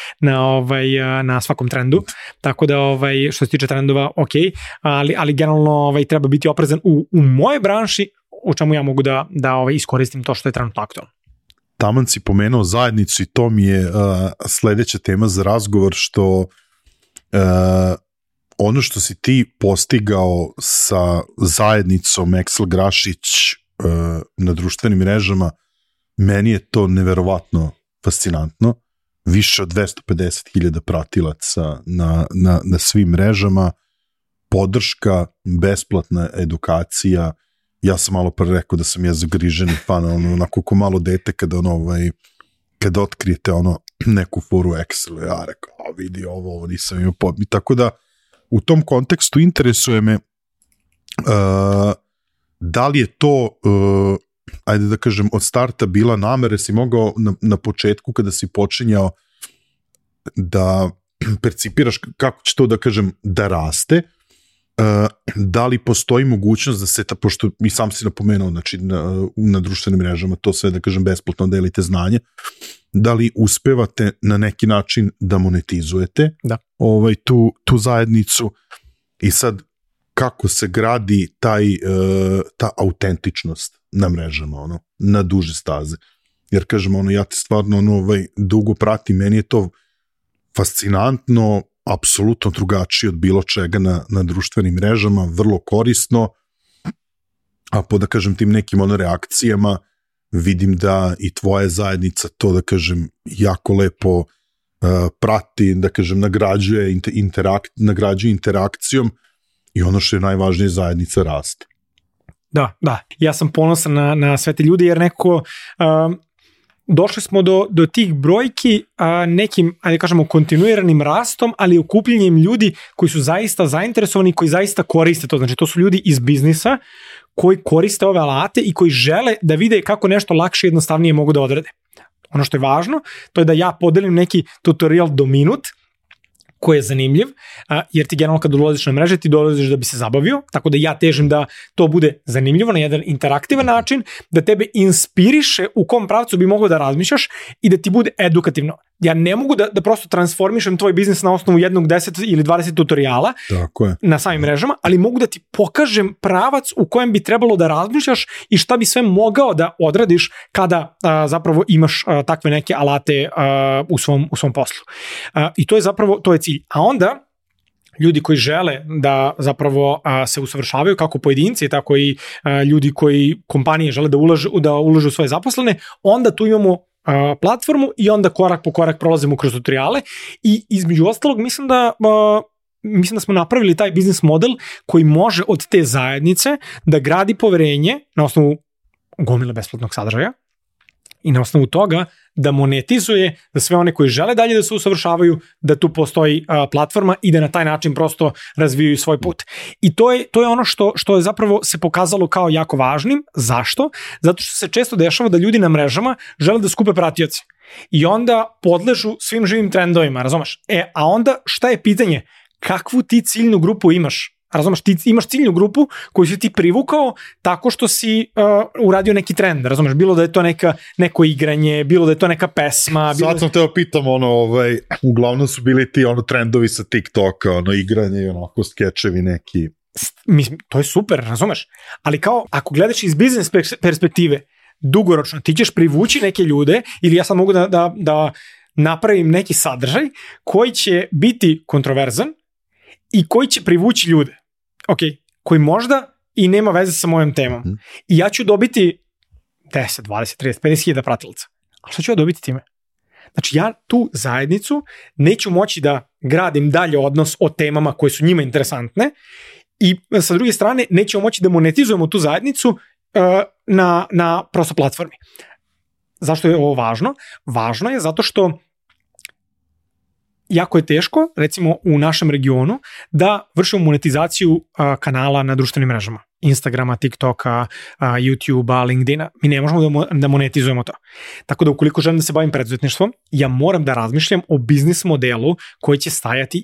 na svakom trendu. Tako da što se tiče trendova, ok, ali generalno treba biti oprezan u moje branši, u čemu ja mogu da iskoristim to što je trenutno aktualno. Taman si pomenuo zajednicu i to mi je sledeća tema za razgovor, što ono što si ti postigao sa zajednicom Excel Grašić na društvenim mrežama, meni je to neverovatno fascinantno. Više od 250.000 pratilaca na svim mrežama, podrška, besplatna edukacija. Ja sam malo pre rekao da sam ja zagriženi fan, onako ko malo dete kada otkrijete neku foru Excel, ja rekao, vidi ovo nisam imao podmi. Tako da u tom kontekstu interesuje me da li je to, ajde da kažem, od starta bila namera, si mogao na početku kada si počinjao da percipiraš kako će to, da kažem, da raste, da li postoji mogućnost da se, pošto mi sam si napomenuo, znači na društvenim mrežama to sve, da kažem, besplatno delite znanje, da li uspevate na neki način da monetizujete tu zajednicu i sad kako se gradi ta autentičnost na mrežama, na duže staze. Jer kažem, ja te stvarno dugo pratim, meni je to fascinantno, apsolutno drugačije od bilo čega na društvenim mrežama, vrlo korisno, a po, da kažem, tim nekim reakcijama vidim da i tvoja zajednica to, da kažem, jako lepo prati, da kažem, nagrađuje interakcijom i ono što je najvažnije, zajednica raste. Da. Ja sam ponosan na sve te ljudi jer nekako došli smo do tih brojki nekim, ajde kažemo, kontinuiranim rastom, ali okupljenjem ljudi koji su zaista zainteresovani, koji zaista koriste to. Znači, to su ljudi iz biznisa koji koriste ove alate i koji žele da vide kako nešto lakše i jednostavnije mogu da odrade. Ono što je važno, to je da ja podelim neki tutorial do minut, koji je zanimljiv, jer ti generalno kad ulaziš na mreže, ti dolaziš da bi se zabavio, tako da ja težim da to bude zanimljivo na jedan interaktivan način, da tebe inspiriše u kom pravcu bi mogao da razmišljaš i da ti bude edukativno. Ja ne mogu da prosto transformišem tvoj biznis na osnovu 1, 10 ili 20 tutoriala na samim mrežama, ali mogu da ti pokažem pravac u kojem bi trebalo da razmišljaš i šta bi sve mogao da odradiš kada zapravo imaš takve neke alate u svom poslu. I to je zapravo, to je cilj. A onda ljudi koji žele da zapravo se usavršavaju kako pojedinci, tako i ljudi koji kompanije žele da ulažu u svoje zaposlene, onda tu imamo platformu i onda korak po korak prolazimo kroz tutoriale i između ostalog mislim da smo napravili taj biznis model koji može od te zajednice da gradi poverenje na osnovu gomile besplatnog sadržaja i na osnovu toga da monetizuje za sve one koji žele dalje da se usavršavaju, da tu postoji platforma i da na taj način prosto razvijaju svoj put. I to je ono što je zapravo se pokazalo kao jako važnim. Zašto? Zato što se često dešava da ljudi na mrežama žele da skupe pratioce i onda podležu svim živim trendovima, razumeš? A onda šta je pitanje? Kakvu ti ciljnu grupu imaš? Razumeš, ti imaš ciljnu grupu koju si ti privukao tako što si uradio neki trend, razumeš, bilo da je to neko igranje, bilo da je to neka pesma. Sad sam teo pitam, uglavnom su bili ti trendovi sa TikToka, igranje i onako skečevi neki. Mislim, to je super, razumeš, ali kao ako gledaš iz biznis perspektive, dugoročno ti ćeš privući neke ljude ili ja sad mogu da napravim neki sadržaj koji će biti kontroverzan i koji će privući ljude. Ok, koji možda i nema veze sa mojom temom. I ja ću dobiti 10, 20, 30, 50 hiljada pratilaca. A što ću ja dobiti time? Znači, ja tu zajednicu neću moći da gradim dalje odnos o temama koje su njima interesantne i sa druge strane nećemo moći da monetizujemo tu zajednicu na prosto platformi. Zašto je ovo važno? Važno je zato što jako je teško, recimo u našem regionu, da vršimo monetizaciju kanala na društvenim mrežama. Instagrama, TikToka, YouTubea, LinkedIna. Mi ne možemo da monetizujemo to. Tako da ukoliko želim da se bavim preduzetništvom, ja moram da razmišljam o biznis modelu koji će stajati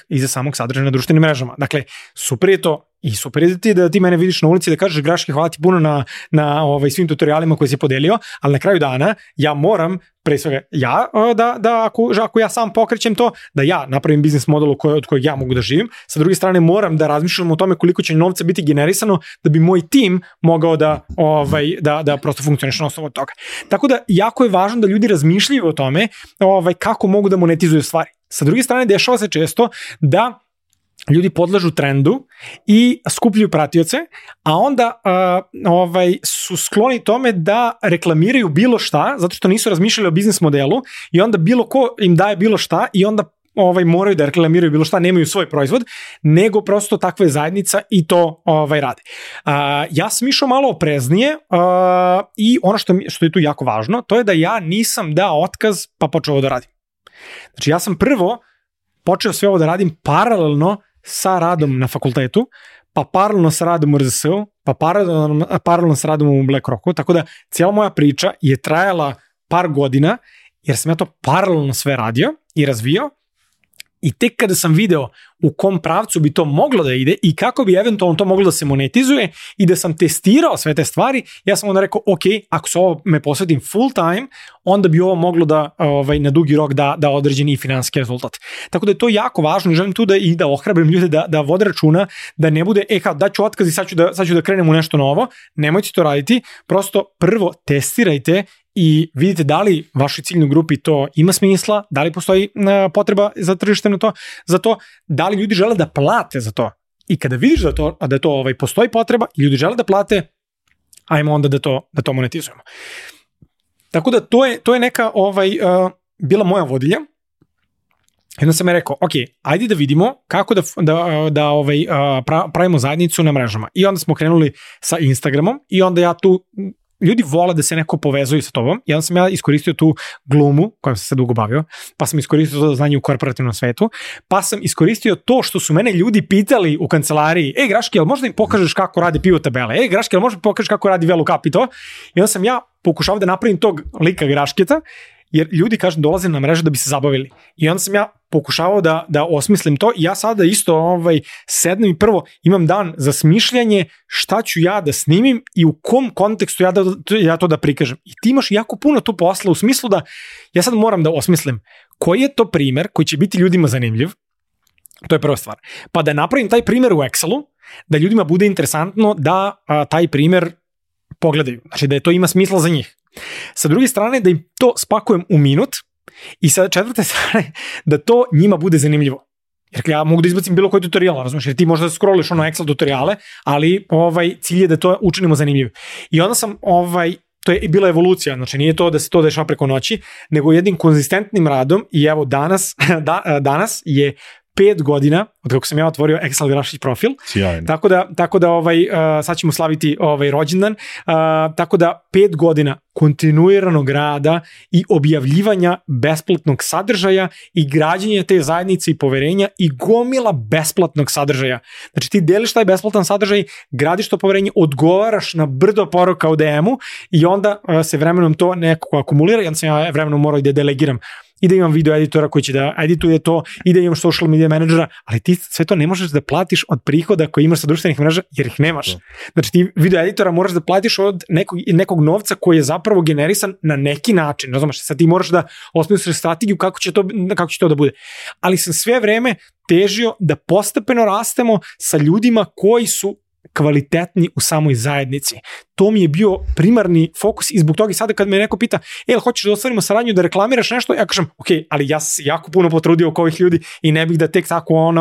iza samog sadržaja na društvenim mrežama. Dakle, super je to i super je da ti mene vidiš na ulici da kažeš Graške, hvala ti puno na svim tutorialima koje si podelio, ali na kraju dana ja moram pre svega ako ja sam pokrećem to, da ja napravim biznis model od kojeg ja mogu da živim. Sa druge strane moram da razmišljam o tome koliko će novca biti generisano da bi moj tim mogao da prosto funkcioniše na osnovu toga. Tako da jako je važno da ljudi razmišljaju o tome kako mogu da monetizuju stvari. Sa druge strane dešava se često da ljudi podležu trendu i skupljaju pratioce, a onda su skloni tome da reklamiraju bilo šta, zato što nisu razmišljali o biznis modelu i onda bilo ko im daje bilo šta i onda moraju da reklamiraju bilo šta, nemaju svoj proizvod, nego prosto takva je zajednica i to rade. Ja sam išao malo opreznije i ono što je tu jako važno, to je da ja nisam dao otkaz pa počeo ovo da radim. Znači ja sam prvo počeo sve ovo da radim paralelno sa radom na fakultetu, pa paralelno sa radom u RZS-u, pa paralelno sa radom u BlackRocku, tako da cijela moja priča je trajala par godina, jer sam ja to paralelno sve radio i razvio, i tek kada sam video u kom pravcu bi to moglo da ide i kako bi eventualno to moglo da se monetizuje i da sam testirao sve te stvari, ja sam onda rekao, ok, ako se ovo me posvetim full time, onda bi ovo moglo da na dugi rok da određeni i finansijski rezultat. Tako da je to jako važno i želim tu da ohrabrim ljude da vode računa, da ne bude, daću otkaz i sad ću da krenem u nešto novo. Nemojte to raditi, prosto prvo testirajte i vidite da li vašoj ciljnoj grupi to ima smisla, da li postoji potreba za tržište za to, da li ljudi žele da plate za to. I kada vidiš da to postoji potreba i ljudi žele da plate, ajmo onda da to monetizujemo. Tako da to je neka bila moja vodilja. Jedno sam je rekao, ok, ajde da vidimo kako da pravimo zajednicu na mrežama. I onda smo krenuli sa Instagramom i onda ja tu, ljudi vole da se neko povezuju sa tobom, i onda sam ja iskoristio tu glumu, kojom sam se dugo bavio, pa sam iskoristio to znanje u korporativnom svetu, pa sam iskoristio to što su mene ljudi pitali u kancelariji, Graške, jel možda im pokažeš kako radi pivot tabele, Graške, jel možda pokažeš kako radi VLOOKUP i to, i onda sam ja pokušao da napravim tog lika Grašketa, jer ljudi, kažem, dolaze na mrežu da bi se zabavili. I onda sam ja pokušavao da osmislim to i ja sada isto sednem i prvo imam dan za smišljanje šta ću ja da snimim i u kom kontekstu ja to da prikažem. I ti imaš jako puno tu posla u smislu da ja sad moram da osmislim koji je to primer koji će biti ljudima zanimljiv, to je prva stvar. Pa da napravim taj primer u Excelu, da ljudima bude interesantno da taj primer pogledaju. Znači da to ima smisla za njih. Sa druge strane da im to spakujem u minut i sa četvrte strane da to njima bude zanimljivo. Jer ja mogu da izbacim bilo koji tutorial, razumiješ, jer ti možda scrolliš Excel tutoriale, ali cilj je da to učinimo zanimljivo. I onda sam, to je bila evolucija, znači nije to da se to dešava preko noći, nego jednim konzistentnim radom i evo danas je 5 godina od kako sam ja otvorio Excel Grašić profil. Sjajno. Tako da sad ćemo slaviti rođendan. Tako da 5 godina kontinuiranog rada i objavljivanja besplatnog sadržaja i građenja te zajednice i poverenja i gomila besplatnog sadržaja. Znači ti deliš taj besplatan sadržaj, gradiš to poverenje, odgovaraš na brdo poruka u DM-u i onda se vremenom to nekako akumulira i onda sam ja vremenom morao da delegiram i da imam video editora koji će da edituje to i da imam social media menadžera, ali ti sve to ne možeš da platiš od prihoda koje imaš sa društvenih mreža jer ih nemaš. Znači ti video editora moraš da platiš od nekog novca koji je zapravo generisan na neki način. Razumeš, sad ti moraš da osmisliš strategiju kako će to da bude. Ali sam sve vreme težio da postepeno rastemo sa ljudima koji su kvalitetni u samoj zajednici. To mi je bio primarni fokus i zbog toga i sada kad me neko pita, hoćeš da ostvarimo saradnju da reklamiraš nešto, ja kažem, ok, ali ja sam se jako puno potrudio oko ovih ljudi i ne bih da tek tako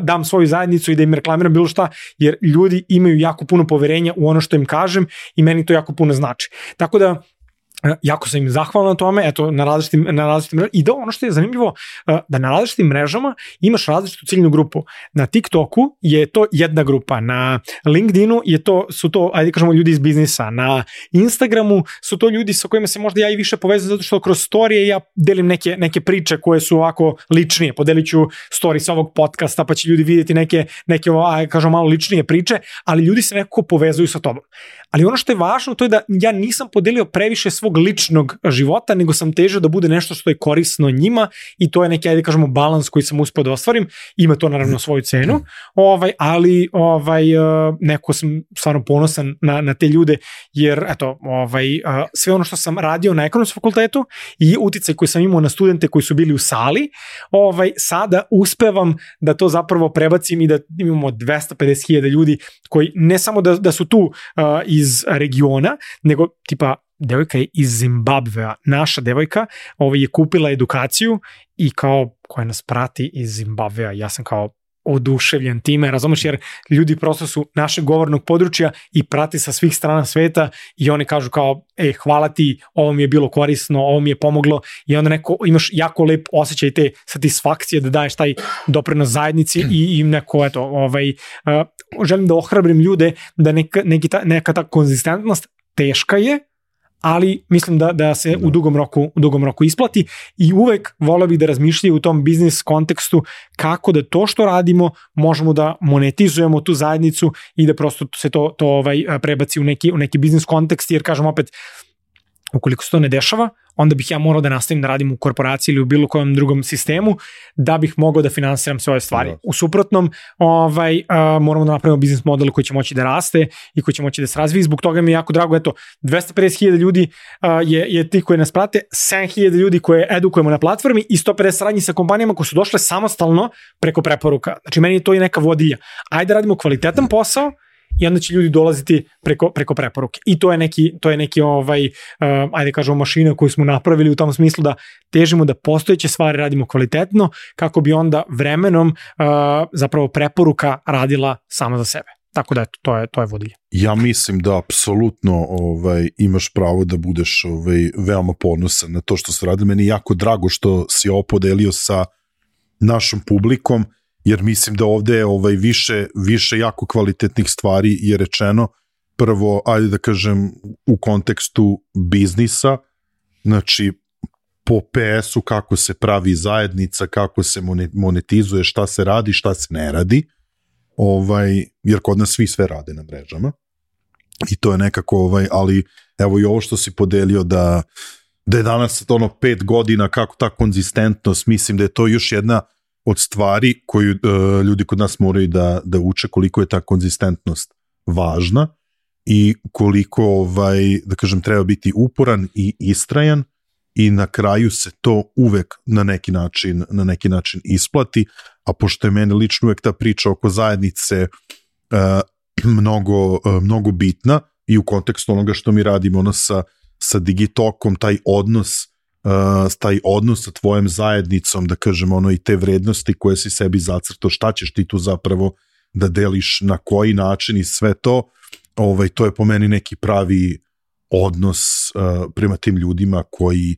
dam svoju zajednicu i da im reklamiram bilo šta, jer ljudi imaju jako puno poverenja u ono što im kažem i meni to jako puno znači. Tako da, jako sam im zahvalan na tome, eto, na različitim mrežama. I da ono što je zanimljivo, da na različitim mrežama imaš različitu ciljnu grupu. Na TikToku je to jedna grupa, na LinkedInu su to, ajde kažemo, ljudi iz biznisa, na Instagramu su to ljudi sa kojima se možda ja i više povezam, zato što kroz storije ja delim neke priče koje su ovako ličnije, podelit ću story sa ovog podcasta, pa će ljudi vidjeti neke kažemo, malo ličnije priče, ali ljudi se nekako povezuju sa tobom. Ali ono što je važno, to je da ja nisam podelio previše svog ličnog života, nego sam težio da bude nešto što je korisno njima i to je neki, ajde kažemo, balans koji sam uspio da ostvarim. Ima to naravno svoju cenu, ali neko sam stvarno ponosan na te ljude, jer eto, sve ono što sam radio na ekonomskom fakultetu i uticaj koji sam imao na studente koji su bili u sali, sada uspevam da to zapravo prebacim i da imamo 250.000 ljudi koji ne samo da su tu iz regiona, nego tipa devojka je iz Zimbabvea, naša devojka je kupila edukaciju i kao koja nas prati iz Zimbabvea, ja sam kao oduševljen time, razumeš, jer ljudi prosto su našeg govornog područja i prati sa svih strana sveta i oni kažu kao, hvala ti, ovo mi je bilo korisno, ovo mi je pomoglo i onda imaš jako lep osjećaj te satisfakcije da daješ taj doprinos zajednici i neko, želim da ohrabrim ljude da neka ta konzistentnost teška je, ali mislim da se u dugom roku isplati i uvek voleo bih da razmišljaju u tom biznis kontekstu kako da to što radimo možemo da monetizujemo tu zajednicu i da prosto se to prebaci u neki biznis kontekst, jer kažem opet, ukoliko se to ne dešava, onda bih ja morao da nastavim da radim u korporaciji ili u bilo kojem drugom sistemu da bih mogao da finansiram sve ove stvari. U suprotnom, moramo da napravimo biznis model koji će moći da raste i koji će moći da se razvije. Zbog toga mi je jako drago, 250.000 ljudi je ti koji nas prate, 7.000 ljudi koje edukujemo na platformi i 150 saradnji sa kompanijama koje su došle samostalno preko preporuka. Znači, meni je to i neka vodilja. Ajde da radimo kvalitetan posao i onda će ljudi dolaziti preko preporuke. I to je neki ajde kažemo, mašina koju smo napravili u tom smislu da težimo da postojeće stvari radimo kvalitetno kako bi onda vremenom zapravo preporuka radila sama za sebe. Tako da to je vodilja. Ja mislim da apsolutno imaš pravo da budeš veoma ponosan na to što se radi. Meni je jako drago što si ovo podelio sa našom publikom, jer mislim da ovde je više jako kvalitetnih stvari je rečeno. Prvo, ajde da kažem, u kontekstu biznisa, znači po PS-u kako se pravi zajednica, kako se monetizuje, šta se radi, šta se ne radi, jer kod nas svi sve rade na mrežama i to je nekako, ali evo i ovo što si podelio da je danas 5 godina, kako ta konzistentnost, mislim da je to još jedna od stvari koju ljudi kod nas moraju da uče, koliko je ta konzistentnost važna i koliko, da kažem, treba biti uporan i istrajan i na kraju se to uvek na neki način isplati, a pošto je meni lično uvek ta priča oko zajednice mnogo bitna i u kontekstu onoga što mi radimo sa Digitokom, taj odnos sa tvojom zajednicom, da kažem, i te vrednosti koje si sebi zacrtao, šta ćeš ti tu zapravo da deliš, na koji način i sve to, to je po meni neki pravi odnos prema tim ljudima koji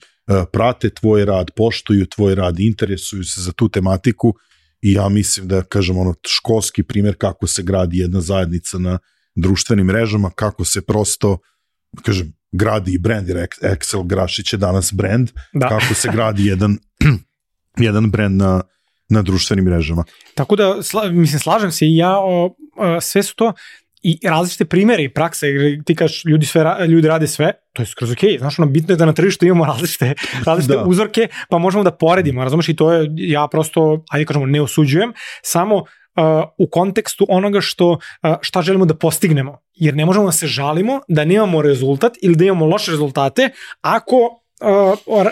prate tvoj rad, poštuju tvoj rad, interesuju se za tu tematiku i ja mislim da, kažem, školski primjer kako se gradi jedna zajednica na društvenim mrežama, kako se prosto, kažem, gradi i brand, jer Excel Grašić je danas brand, kako se gradi jedan brand na društvenim mrežama. Tako da, slažem se i ja, sve su to i različite primjere i prakse, jer ti kažeš ljudi rade sve, to je skroz okej, znaš, bitno je da na tržištu imamo različite uzorke, pa možemo da poredimo, razumeš, i to je, ja prosto, ajde kažemo, ne osuđujem, samo u kontekstu onoga šta želimo da postignemo, jer ne možemo da se žalimo da nemamo rezultat ili da imamo loše rezultate ako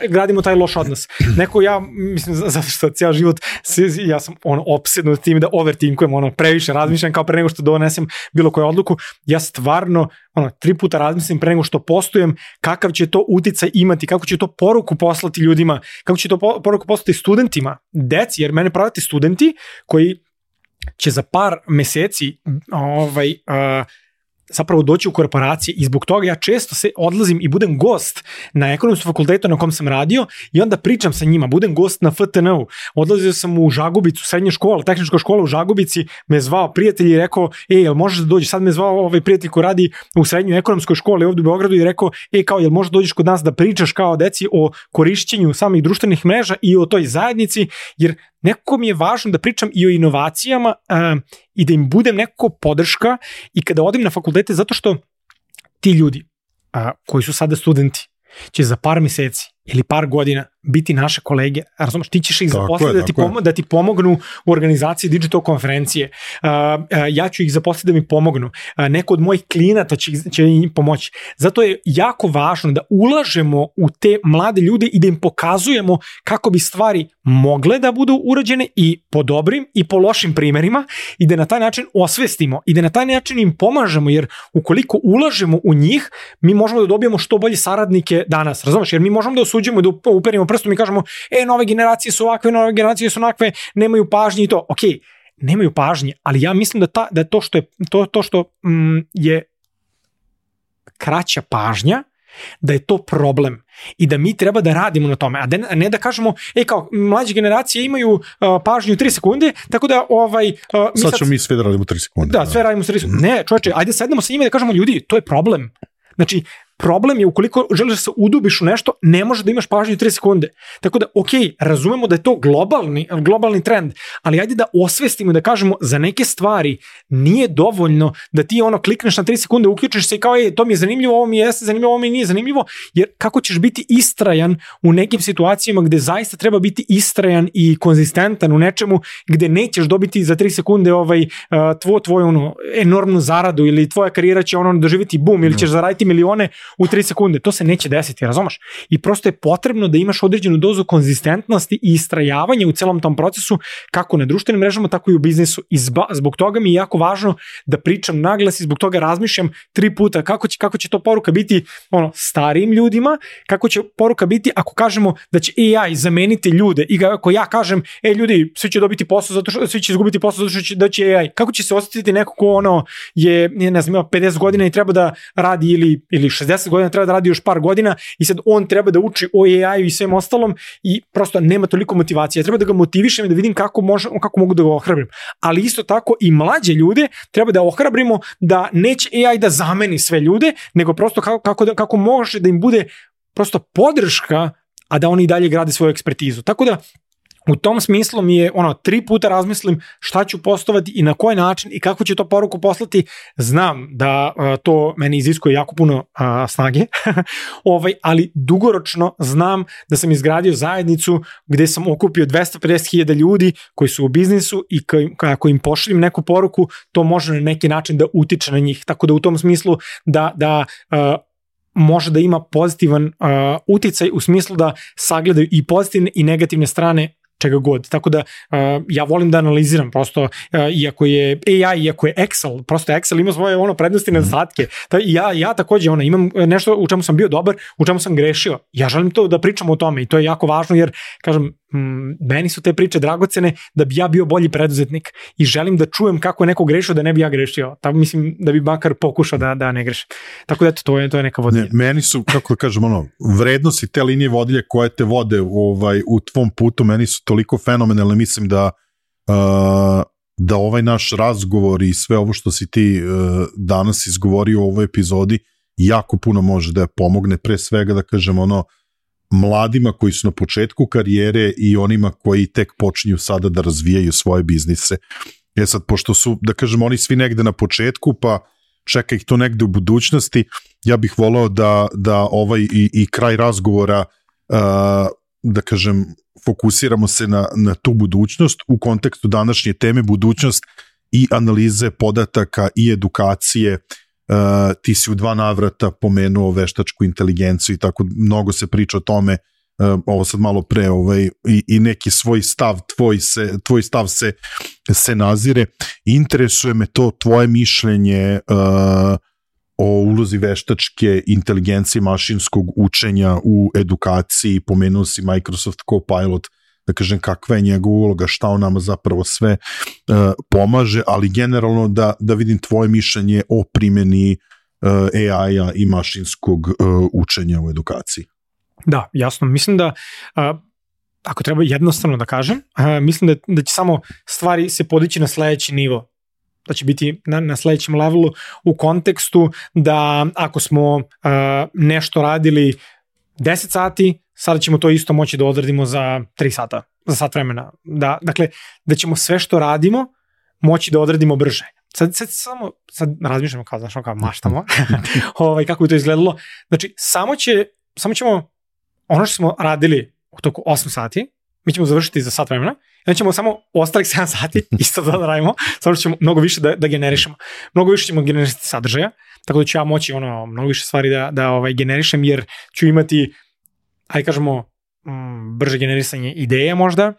gradimo taj loš odnos. Neko ja, mislim, zato što cijel život, ja sam opsednut tim da overtinkujem, previše razmišljam kao pre nego što donesem bilo koju odluku, ja stvarno 3 puta razmislim pre nego što postujem kakav će to uticaj imati, kako će to poruku poslati ljudima, kako će to poruku poslati studentima, deci, jer mene pravite studenti koji će za par meseci zapravo doći u korporacije i zbog toga ja često se odlazim i budem gost na ekonomskom fakultetu na kom sam radio i onda pričam sa njima, budem gost na FTN-u, odlazio sam u Žagubicu, srednja škola, tehnička škola u Žagubici, me zvao prijatelj i rekao, jel možeš da dođeš, sad me zvao prijatelj koji radi u srednjoj ekonomskoj školi ovdje u Beogradu i rekao, kao jel možeš da dođeš kod nas da pričaš kao deci o korišćenju samih društvenih mreža i o toj zajednici, jer nekako mi je važno da pričam i o inovacijama i da im budem nekako podrška i kada odim na fakultete, zato što ti ljudi koji su sada studenti će za par meseci ili par godina biti naše kolege, razumeš, ti ćeš ih zaposliti da ti pomognu u organizaciji digital konferencije, ja ću ih zaposliti da mi pomognu, neko od mojih klijenata će im pomoći. Zato je jako važno da ulažemo u te mlade ljude i da im pokazujemo kako bi stvari mogle da budu urađene i po dobrim i po lošim primerima i da na taj način osvestimo i da na taj način im pomažemo, jer ukoliko ulažemo u njih, mi možemo da dobijemo što bolje saradnike danas, razumeš, jer mi možemo da osuđujemo i da uperimo prstom i kažemo, nove generacije su ovakve, nove generacije su onakve, nemaju pažnje i to. Ok, nemaju pažnje, ali ja mislim da to što je kraća pažnja, da je to problem i da mi treba da radimo na tome, a ne da kažemo, kao mlađe generacije imaju pažnju 3 sekunde, tako da sad ćemo mi sve da radimo 3 sekunde. Da, sve radimo 3 sekunde. Ne, čovječe, ajde sednemo sa njima da kažemo, ljudi, to je problem. Znači, problem je ukoliko želiš da se udubiš u nešto, ne može da imaš pažnju 3 sekunde. Tako da, ok, razumemo da je to globalni trend, ali ajde da osvestimo, da kažemo za neke stvari nije dovoljno da ti klikneš na 3 sekunde, uključiš se i kao, to mi je zanimljivo, ovo mi jeste zanimljivo, ovo mi nije zanimljivo, jer kako ćeš biti istrajan u nekim situacijama gde zaista treba biti istrajan i konzistentan u nečemu gde nećeš dobiti za 3 sekunde tvoju enormnu zaradu ili tvoja karijera će doživjeti boom ili ćeš zaraditi milione u 3 sekunde. To se neće desiti, razumeš? I prosto je potrebno da imaš određenu dozu konzistentnosti i istrajavanja u celom tom procesu, kako na društvenim mrežama, tako i u biznisu. I zbog toga mi je jako važno da pričam naglas i zbog toga razmišljam 3 puta kako će to poruka biti starijim ljudima, kako će poruka biti ako kažemo da će AI zameniti ljude i ako ja kažem, ljudi, svi će dobiti posao, svi će izgubiti posao zato što će AI. Kako će se osjetiti neko ko je, ne znam, 50 godina i treba da radi ili 60 godina treba da radi još par godina i sad on treba da uči o AI-u i svem ostalom i prosto nema toliko motivacije. Treba da ga motivišem i da vidim kako mogu da ga ohrabrim. Ali isto tako i mlađe ljude treba da ohrabrimo da neće AI da zameni sve ljude, nego prosto kako može da im bude prosto podrška, a da oni i dalje grade svoju ekspertizu. Tako da u tom smislu mi je 3 puta razmislim šta ću postovati i na koji način i kako ću to poruku poslati. Znam da to meni iziskuje jako puno snage, ali dugoročno znam da sam izgradio zajednicu gde sam okupio 250.000 ljudi koji su u biznisu i ako im pošaljem neku poruku, to može na neki način da utiče na njih. Tako da u tom smislu da može da ima pozitivan uticaj u smislu da sagledaju i pozitivne i negativne strane čega god. Tako da ja volim da analiziram prosto, iako je AI, iako je Excel, prosto Excel ima svoje prednosti i nedostatke. Ja takođe imam nešto u čemu sam bio dobar, u čemu sam grešio. Ja želim to da pričam o tome i to je jako važno jer, kažem, meni su te priče dragocene da bi ja bio bolji preduzetnik i želim da čujem kako je neko grešio da ne bi ja grešio. Tako mislim da bi makar pokušao da ne grešim. Tako da to je neka vodilja. Meni su, kako da kažem, vrednosti te linije vodilje koje te vode u tvom putu, meni su toliko fenomenalne, mislim da ovaj naš razgovor i sve ovo što si ti danas izgovorio u ovoj epizodi jako puno može da pomogne, pre svega da kažem mladima koji su na početku karijere i onima koji tek počinju sada da razvijaju svoje biznise. Sad, pošto su, da kažem, oni svi negde na početku, pa čeka ih to negde u budućnosti, ja bih volao da ovaj i kraj razgovora, da kažem, fokusiramo se na tu budućnost u kontekstu današnje teme, budućnost i analize podataka i edukacije ti si u 2 navrata pomenuo veštačku inteligenciju i tako mnogo se priča o tome, ovo sad malo pre, i neki svoj stav, tvoj stav se nazire. Interesuje me to tvoje mišljenje o ulozi veštačke inteligencije, mašinskog učenja u edukaciji. Pomenuo si Microsoft Copilot, da kažem kakva je njegova uloga, šta on nama zapravo sve pomaže, ali generalno da vidim tvoje mišljenje o primjeni AI-a i mašinskog učenja u edukaciji. Da, jasno. Mislim da, ako treba jednostavno da kažem, mislim da će samo stvari se podići na sledeći nivo. Da će biti na sledećem levelu u kontekstu da ako smo nešto radili 10 sati, sada ćemo to isto moći da odradimo za 3 sata, za sat vremena. Dakle, da ćemo sve što radimo moći da odradimo brže. Sad razmišljamo kao maštamo, kako bi to izgledalo. Znači, samo ćemo ono što smo radili u toku 8 sati, mi ćemo završiti za sat vremena, i onda ćemo samo ostalih 7 sati isto da radimo, samo što ćemo mnogo više da generišemo. Mnogo više ćemo generisati sadržaja, tako da ću ja moći mnogo više stvari da generišem, jer ću imati, ajde kažemo, brže generisanje ideja možda,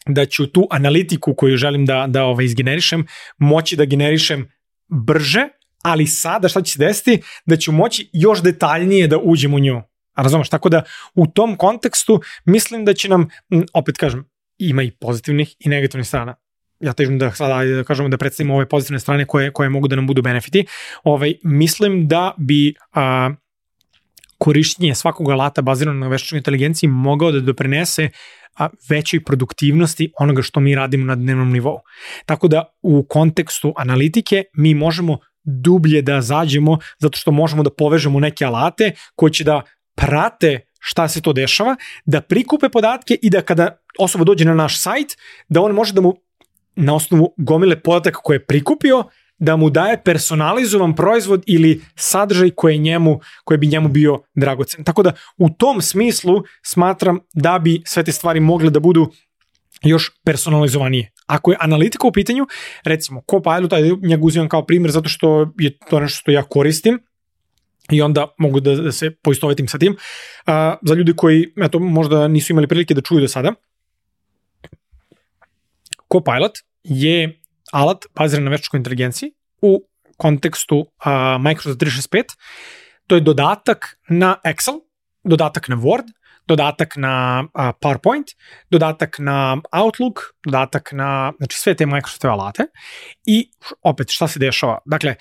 da ću tu analitiku koju želim da izgenerišem, moći da generišem brže, ali sada šta će se desiti, da ću moći još detaljnije da uđem u nju. Razumeš? Tako da u tom kontekstu mislim da će nam, opet kažem, ima i pozitivnih i negativnih strana. Ja težim da sada kažemo da predstavimo ove pozitivne strane koje mogu da nam budu benefiti. Mislim da bi korišćenje svakog alata bazirano na veštačkoj inteligenciji mogao da doprinese većoj produktivnosti onoga što mi radimo na dnevnom nivou. Tako da u kontekstu analitike mi možemo dublje da zađemo zato što možemo da povežemo neke alate koji će da prate šta se to dešava, da prikupe podatke i da kada osoba dođe na naš sajt, da on može da mu na osnovu gomile podataka koje je prikupio, da mu daje personalizovan proizvod ili sadržaj koji bi njemu bio dragocen. Tako da u tom smislu smatram da bi sve te stvari mogle da budu još personalizovanije. Ako je analitika u pitanju, recimo Copilot, njega uzimam kao primjer zato što je to nešto što ja koristim, i onda mogu da se poistovetim sa tim. Za ljudi koji možda nisu imali prilike da čuju do sada, Copilot je alat baziran na veštačkoj inteligenciji u kontekstu Microsoft 365. To je dodatak na Excel, dodatak na Word, dodatak na PowerPoint, dodatak na Outlook, dodatak na sve te Microsoftove alate. I opet šta se dešava? Dakle,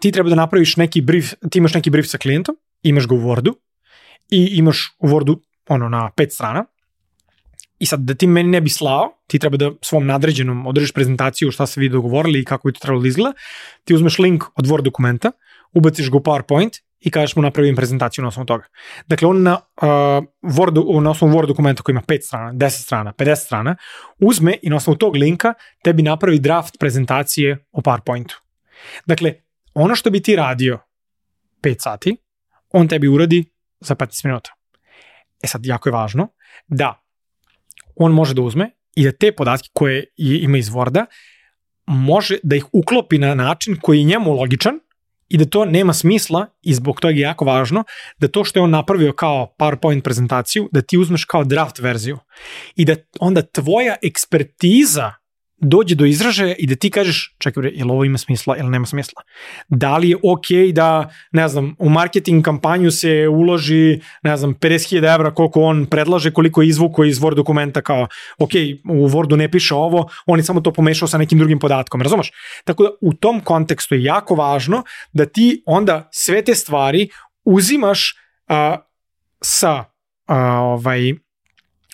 ti treba da napraviš neki brief, ti imaš neki brief sa klijentom, imaš ga u Wordu i imaš u Wordu na 5 strana i sad da ti meni ne bi slao, ti treba da svom nadređenom održiš prezentaciju šta se vi dogovorili i kako bi to trebalo da izgleda, ti uzmeš link od Word dokumenta, ubaciš ga u PowerPoint i kažeš mu napravim prezentaciju na osnovu toga. Dakle, on na osnovu Word dokumenta koji ima 5 strana, 10 strana, 50 strana, uzme i na osnovu tog linka tebi napravi draft prezentacije o PowerPointu. Dakle, ono što bi ti radio 5 sati, on tebi uradi za 15 minuta. Sad, jako je važno da on može da uzme i da te podatke koje ima iz Worda može da ih uklopi na način koji je njemu logičan i da to nema smisla i zbog toga je jako važno da to što je on napravio kao PowerPoint prezentaciju, da ti uzmeš kao draft verziju i da onda tvoja ekspertiza dođe do izražaja i da ti kažeš, čekaj, jel ovo ima smisla ili nema smisla? Da li je okej da, ne znam, u marketing kampanju se uloži, ne znam, 50.000 evra koliko on predlaže, koliko je izvukao iz Word dokumenta kao, okej, u Wordu ne piše ovo, on je samo to pomešao sa nekim drugim podatkom, razumeš? Tako da u tom kontekstu je jako važno da ti onda sve te stvari uzimaš sa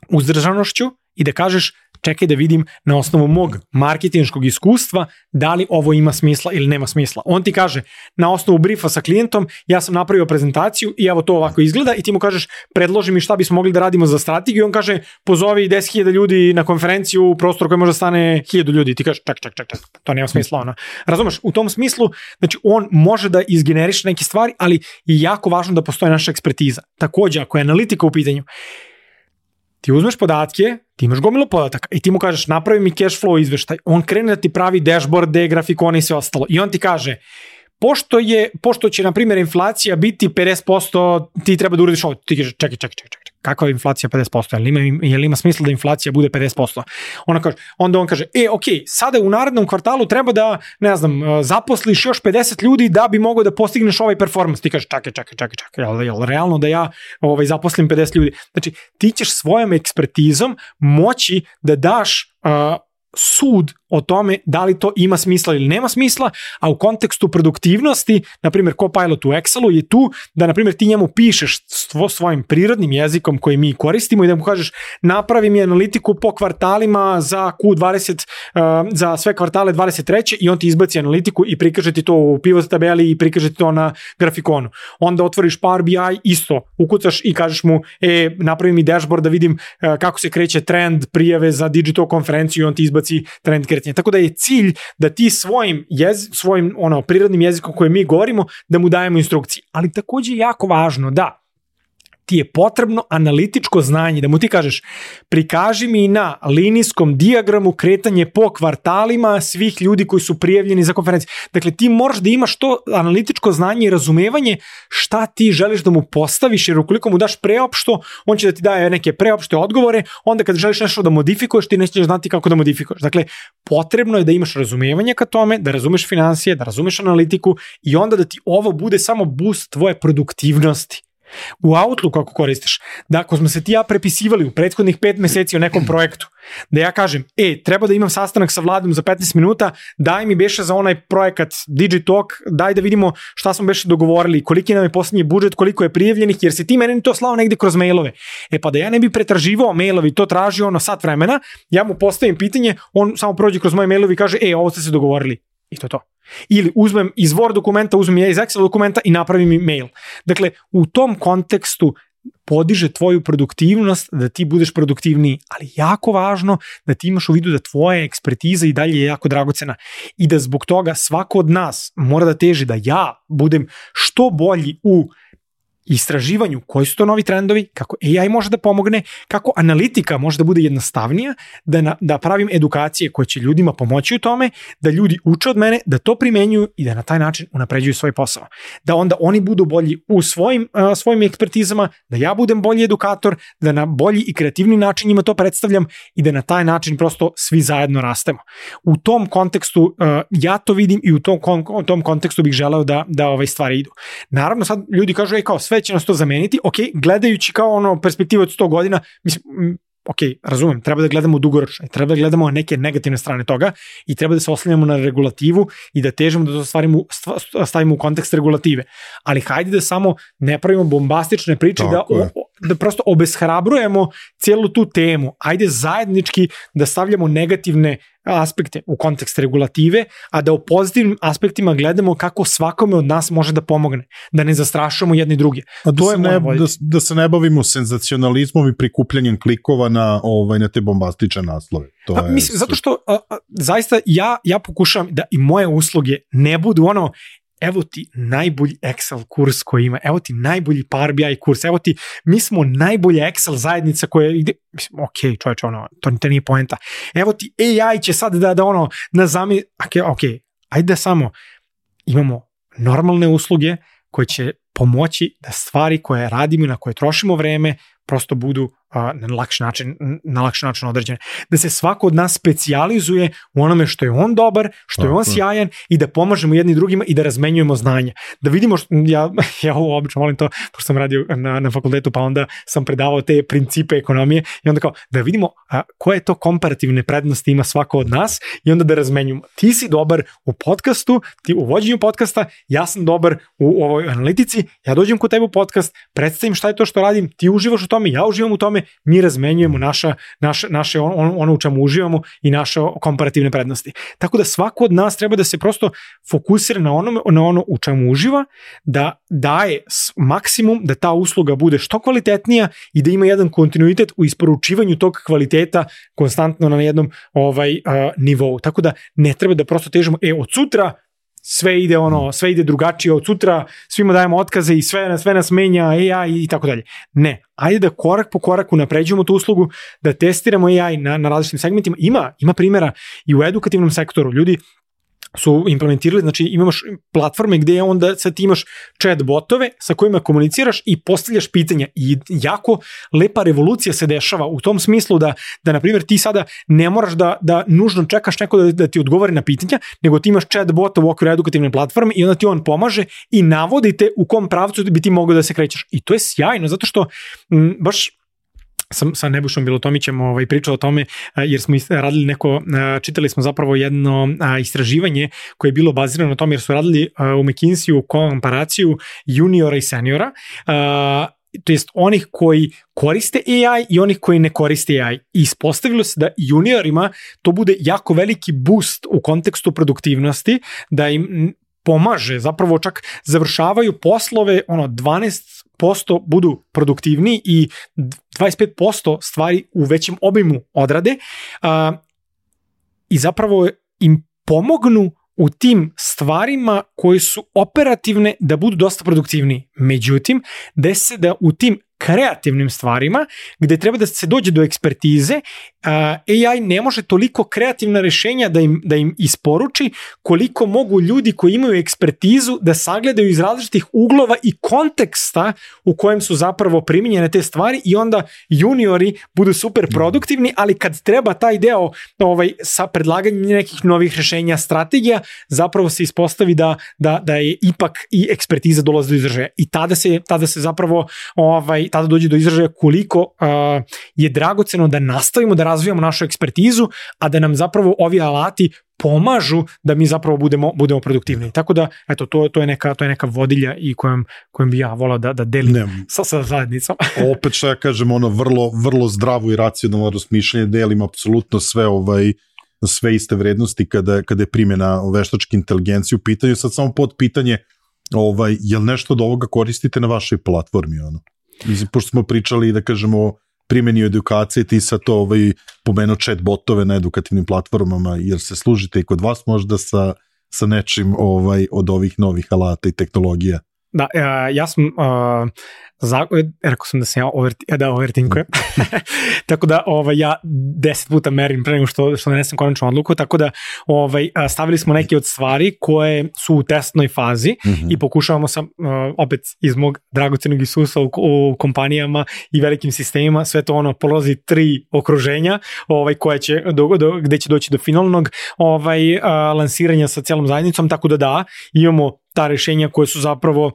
uzdržanošću i da kažeš, čekaj da vidim na osnovu mog marketinškog iskustva da li ovo ima smisla ili nema smisla. On ti kaže, na osnovu briefa sa klijentom, ja sam napravio prezentaciju i evo to ovako izgleda i ti mu kažeš, predloži mi šta bismo mogli da radimo za strategiju, on kaže, pozovi 10.000 ljudi na konferenciju u prostor koji može da stane 1.000 ljudi. Ti kažeš, ček, to nema smisla. Razumeš, u tom smislu, znači on može da izgeneriše neke stvari, ali je jako važno da postoji naša ekspertiza. Takođe, ako je analitika u pitanju, ti uzmeš podatke, ti imaš gomilu podataka i ti mu kažeš napravi mi cash flow izveštaj, on krene da ti pravi dashboarde, grafikone i sve ostalo i on ti kaže pošto će, na primjer, inflacija biti 50%, ti treba da uradiš ovo. Ti kažeš, čekaj. Kakva je inflacija 50%? Jel ima smisla da inflacija bude 50%? Onda on kaže, sada u narednom kvartalu treba da, ne znam, zaposliš još 50 ljudi da bi mogao da postigneš ovaj performans. Ti kažeš, čekaj, jel realno da ja zaposlim 50 ljudi? Znači, ti ćeš svojom ekspertizom moći da daš sud o tome da li to ima smisla ili nema smisla, a u kontekstu produktivnosti, na primjer Copilot u Excelu je tu da, na primjer, ti njemu pišeš svojim prirodnim jezikom koji mi koristimo i da mu kažeš napravi mi analitiku po kvartalima za Q20, za sve kvartale 23. i on ti izbaci analitiku i prikaže ti to u pivot tabeli i prikaže ti to na grafikonu. Onda otvoriš Power BI, isto, ukucaš i kažeš mu, napravi mi dashboard da vidim kako se kreće trend prijave za digital konferenciju i on ti izbaci trend kretanja. Tako da je cilj da ti svojim prirodnim jezikom koje mi govorimo, da mu dajemo instrukcije. Ali takođe je jako važno da ti je potrebno analitičko znanje, da mu ti kažeš prikaži mi na linijskom dijagramu kretanje po kvartalima svih ljudi koji su prijavljeni za konferenciju. Dakle, ti moraš da imaš to analitičko znanje i razumevanje šta ti želiš da mu postaviš, jer ukoliko mu daš preopšto, on će da ti daje neke preopšte odgovore, onda kad želiš nešto da modifikuješ, ti nećeš znati kako da modifikuješ. Dakle, potrebno je da imaš razumevanje ka tome, da razumeš finansije, da razumeš analitiku i onda da ti ovo bude samo boost tvoje produktivnosti. U Outlooku ako koristiš, da ako smo se ti ja prepisivali u prethodnih 5 meseci o nekom projektu, da ja kažem, treba da imam sastanak sa Vladom za 15 minuta, daj mi beše za onaj projekat Digitalk, daj da vidimo šta smo beše dogovorili, koliki nam je posljednji budžet, koliko je prijavljenih, jer si ti meni to slao negde kroz mailove. Pa da ja ne bi pretraživao mailovi, to traži sat vremena, ja mu postavim pitanje, on samo prođe kroz moje mailovi i kaže, ovo ste se dogovorili. I to je to. Ili uzmem iz Word dokumenta, uzmem ja iz Excel dokumenta i napravim mi mail. Dakle, u tom kontekstu podiže tvoju produktivnost, da ti budeš produktivniji, ali jako važno da ti imaš u vidu da tvoja ekspertiza i dalje je jako dragocena i da zbog toga svako od nas mora da teži da ja budem što bolji u istraživanju koji su to novi trendovi, kako AI može da pomogne, kako analitika može da bude jednostavnija, da pravim edukacije koje će ljudima pomoći u tome, da ljudi uče od mene, da to primenjuju i da na taj način unapređuju svoj posao. Da onda oni budu bolji u svojim ekspertizama, da ja budem bolji edukator, da na bolji i kreativni način njima to predstavljam i da na taj način prosto svi zajedno rastemo. U tom kontekstu ja to vidim i u tom kontekstu bih želeo da ove stvari idu. Naravno sad ljudi kažu, kao sve će nas to zameniti, gledajući kao perspektivu od 100 godina, mislim, razumem, treba da gledamo dugoročno, treba da gledamo neke negativne strane toga i treba da se oslanjamo na regulativu i da težimo da to stavimo u kontekst regulative. Ali hajde da samo ne pravimo bombastične priče, da prosto obeshrabrujemo cijelu tu temu. Ajde zajednički da stavljamo negativne aspekte u kontekst regulative, a da u pozitivnim aspektima gledamo kako svakome od nas može da pomogne, da ne zastrašujemo jedni druge. Da se ne bavimo senzacionalizmom i prikupljanjem klikova na te bombastične naslove. Mislim, zato što zaista ja pokušavam da i moje usluge ne budu evo ti najbolji Excel kurs koji ima, evo ti najbolji Power BI kurs, evo ti, mi smo najbolja Excel zajednica koja ide, mislim, čovječe, to nije poenta. Evo ti AI će sad da ajde da samo imamo normalne usluge koje će pomoći da stvari koje radimo i na koje trošimo vreme prosto budu na lakši način određene. Da se svako od nas specijalizuje u onome što je on dobar, što je on sjajan i da pomažemo jedni drugima i da razmenjujemo znanja. Da vidimo, ja ovo obično volim to, pošto sam radio na fakultetu, pa onda sam predavao te principe ekonomije i onda kao da vidimo koje to komparativne prednosti ima svako od nas i onda da razmenjujemo. Ti si dobar u podcastu, ti u vođenju podcasta, ja sam dobar u ovoj analitici, ja dođem kod tebe u podcast, predstavim šta je to što radim, ti uživaš u tome, ja uživam u tome, mi razmenjujemo naše ono u čemu uživamo i naše komparativne prednosti. Tako da svako od nas treba da se prosto fokusira na ono u čemu uživa, da daje maksimum, da ta usluga bude što kvalitetnija i da ima jedan kontinuitet u isporučivanju tog kvaliteta konstantno na jednom nivou. Tako da ne treba da prosto težimo, od sutra sve ide drugačije, od sutra svima dajemo otkaze i sve nas menja AI i tako dalje. Ne, ajde da korak po koraku napređujemo tu uslugu, da testiramo AI na različitim segmentima. Ima primjera i u edukativnom sektoru. Ljudi su implementirali, znači imaš platforme gde onda sad ti imaš chat botove sa kojima komuniciraš i postavljaš pitanja i jako lepa revolucija se dešava u tom smislu da na primjer ti sada ne moraš da nužno čekaš neko da ti odgovori na pitanja, nego ti imaš chat bota u okviru edukativne platforme i onda ti on pomaže i navodite u kom pravcu bi ti mogao da se krećeš. I to je sjajno, zato što baš sam sa Nebojšom Bilotomićem pričao o tome, jer smo radili čitali smo zapravo jedno istraživanje koje je bilo bazirano na tome, jer su radili u McKinsey-u komparaciju juniora i seniora, to jest onih koji koriste AI i onih koji ne koriste AI. I ispostavilo se da juniorima to bude jako veliki boost u kontekstu produktivnosti, da im pomaže, zapravo čak završavaju poslove, 12% budu produktivni i 25% stvari u većem obimu odrade i zapravo im pomognu u tim stvarima koji su operativne da budu dosta produktivniji. Međutim, desi se da u tim kreativnim stvarima, gde treba da se dođe do ekspertize, AI ne može toliko kreativna rešenja da im isporuči koliko mogu ljudi koji imaju ekspertizu da sagledaju iz različitih uglova i konteksta u kojem su zapravo primijenjene te stvari i onda juniori budu super produktivni, ali kad treba taj deo sa predlaganjem nekih novih rešenja, strategija, zapravo se ispostavi da je ipak i ekspertiza dolazi do izražaja. I tada se zapravo tada dođe do izražaja koliko je dragoceno da nastavimo da razvijamo našu ekspertizu, a da nam zapravo ovi alati pomažu da mi zapravo budemo produktivni. Tako da, eto, to je neka vodilja i kojom bi ja volao da delim sa zajednicom. Opet što ja kažem, vrlo, vrlo zdravo i racionalno razmišljanje, delim apsolutno sve iste vrednosti kada je primjena veštačke inteligencije u pitanju. Sad samo pod pitanje, je li nešto od ovoga koristite na vašoj platformi? Pošto smo pričali, da kažemo, o primjeni edukacije, ti sad to pomenuo chat botove na edukativnim platformama, jer se služite i kod vas možda sa nečim od ovih novih alata i tehnologija? Da, ja sam rekao sam da sam ja overtinkujem. Tako da ja 10 puta merim pre nego što donesem konačnu odluku, tako da stavili smo neke od stvari koje su u testnoj fazi i pokušavamo opet iz mog dragocenog iskustva u kompanijama i velikim sistemima, sve to polazi 3 okruženja koje će, gde će doći do finalnog lansiranja sa celom zajednicom, tako da imamo ta rešenja koje su zapravo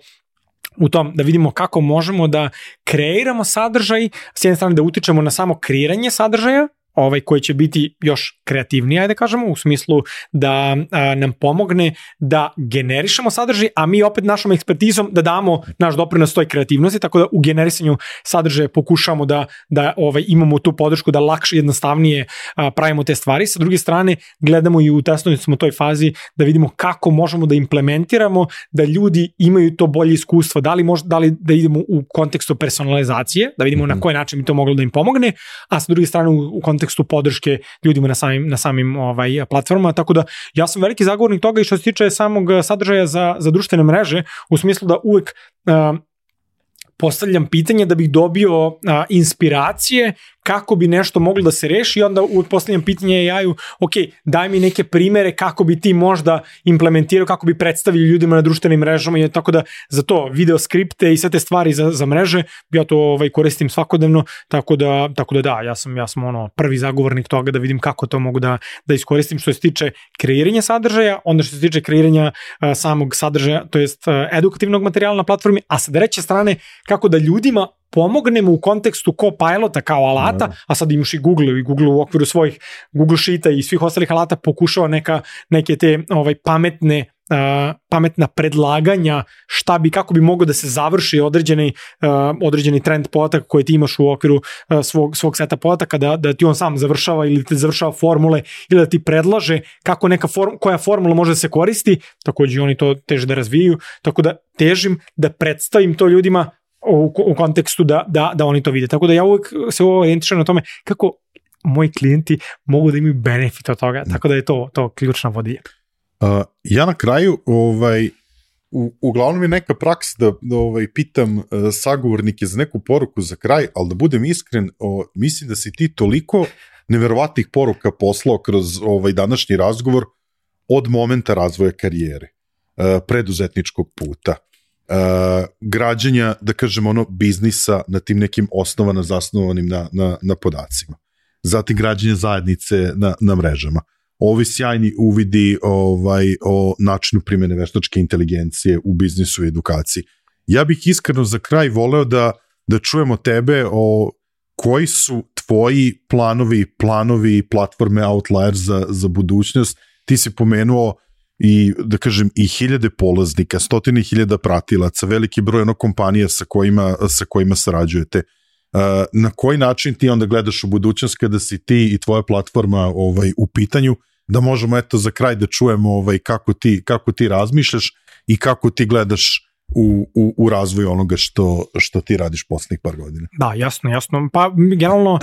u tom da vidimo kako možemo da kreiramo sadržaj, s jedne strane da utičemo na samo kreiranje sadržaja, koji će biti još kreativniji, ajde kažemo, u smislu da nam pomogne da generišemo sadržaj, a mi opet našom ekspertizom da damo naš doprinos toj kreativnosti, tako da u generisanju sadržaja pokušamo da imamo tu podršku da lakše, jednostavnije pravimo te stvari. Sa druge strane, gledamo i u testovanju smo toj fazi da vidimo kako možemo da implementiramo da ljudi imaju to bolje iskustvo, da li da idemo u kontekstu personalizacije, da vidimo na koji način bi to moglo da im pomogne, a sa druge strane u kontekstu podrške ljudima na samim platformama, tako da ja sam veliki zagovornik toga i što se tiče samog sadržaja za društvene mreže, u smislu da uvek postavljam pitanje da bih dobio inspiracije kako bi nešto moglo da se reši i onda postavljam pitanje AI-u, ok, daj mi neke primere kako bi ti možda implementirao, kako bi predstavili ljudima na društvenim mrežama i tako da za to video skripte i sve te stvari za mreže, ja to koristim svakodnevno, tako da ja sam prvi zagovornik toga da vidim kako to mogu da iskoristim što se tiče kreiranja sadržaja, onda što se tiče kreiranja samog sadržaja, to jest edukativnog materijala na platformi, a sa treće strane kako da ljudima pomognemo u kontekstu Copilota kao alata, a sad imaš i Google u okviru svojih Google Sheeta i svih ostalih alata pokušava neke te pametna predlaganja kako bi mogao da se završi određeni trend podataka koje ti imaš u okviru svog seta podataka, da ti on sam završava ili te završava formule ili da ti predlaže kako koja formula može da se koristi, takođe oni to teže da razvijaju, tako da težim da predstavim to ljudima u kontekstu da oni to vide. Tako da ja uvek se orijentišem na tome kako moji klijenti mogu da imaju benefit od toga, tako da je to ključna vodilja. Ja na kraju, uglavnom je neka praksa da pitam sagovornike za neku poruku za kraj, ali da budem iskren, mislim da si ti toliko neverovatnih poruka poslao kroz današnji razgovor, od momenta razvoja karijere, preduzetničkog puta, građenja, da kažem, biznisa na tim nekim osnovama zasnovanim na podacima. Zatim građenje zajednice na mrežama. Ovi sjajni uvidi o načinu primjene veštačke inteligencije u biznisu i edukaciji. Ja bih iskreno za kraj voleo da čujemo tebe o koji su tvoji planovi platforme Outlier za budućnost. Ti si pomenuo i, da kažem, i 1000 polaznika, 100.000 pratilaca, veliki broj kompanija sa kojima sarađujete. Na koji način ti onda gledaš u budućnost kada si ti i tvoja platforma u pitanju, da možemo za kraj da čujemo kako ti razmišljaš i kako ti gledaš u razvoju onoga što ti radiš poslednjih par godina. Da, jasno. Pa generalno,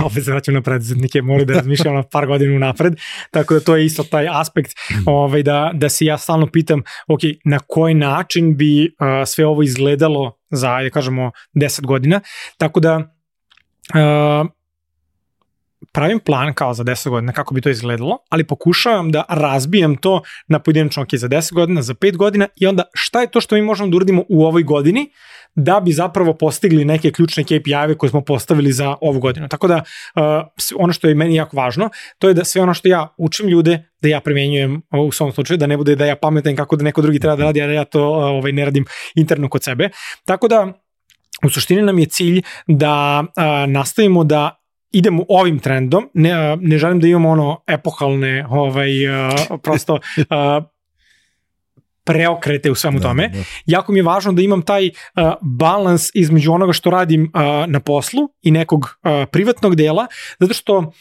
opet se vraćam na preduzetnike, moraju da razmišljam na par godina napred, tako da to je isto taj aspekt da se ja stalno pitam, ok, na koji način bi sve ovo izgledalo za, da kažemo, 10 godina, tako da pravim plan kao za 10 godina kako bi to izgledalo, ali pokušavam da razbijem to na pojedinačno, ok, za 10 godina, za 5 godina i onda šta je to što mi možemo da uradimo u ovoj godini da bi zapravo postigli neke ključne KPI-eve koje smo postavili za ovu godinu. Tako da ono što je meni jako važno, to je da sve ono što ja učim ljude, da ja primenjujem u svom slučaju, da ne bude da ja pametam kako da neko drugi treba da radi, a da ja to ne radim interno kod sebe. Tako da u suštini nam je cilj da nastavimo da idemo ovim trendom, ne želim da imamo epohalne prosto preokrete u svemu tome. Jako mi je važno da imam taj balans između onoga što radim na poslu i nekog privatnog dela, zato što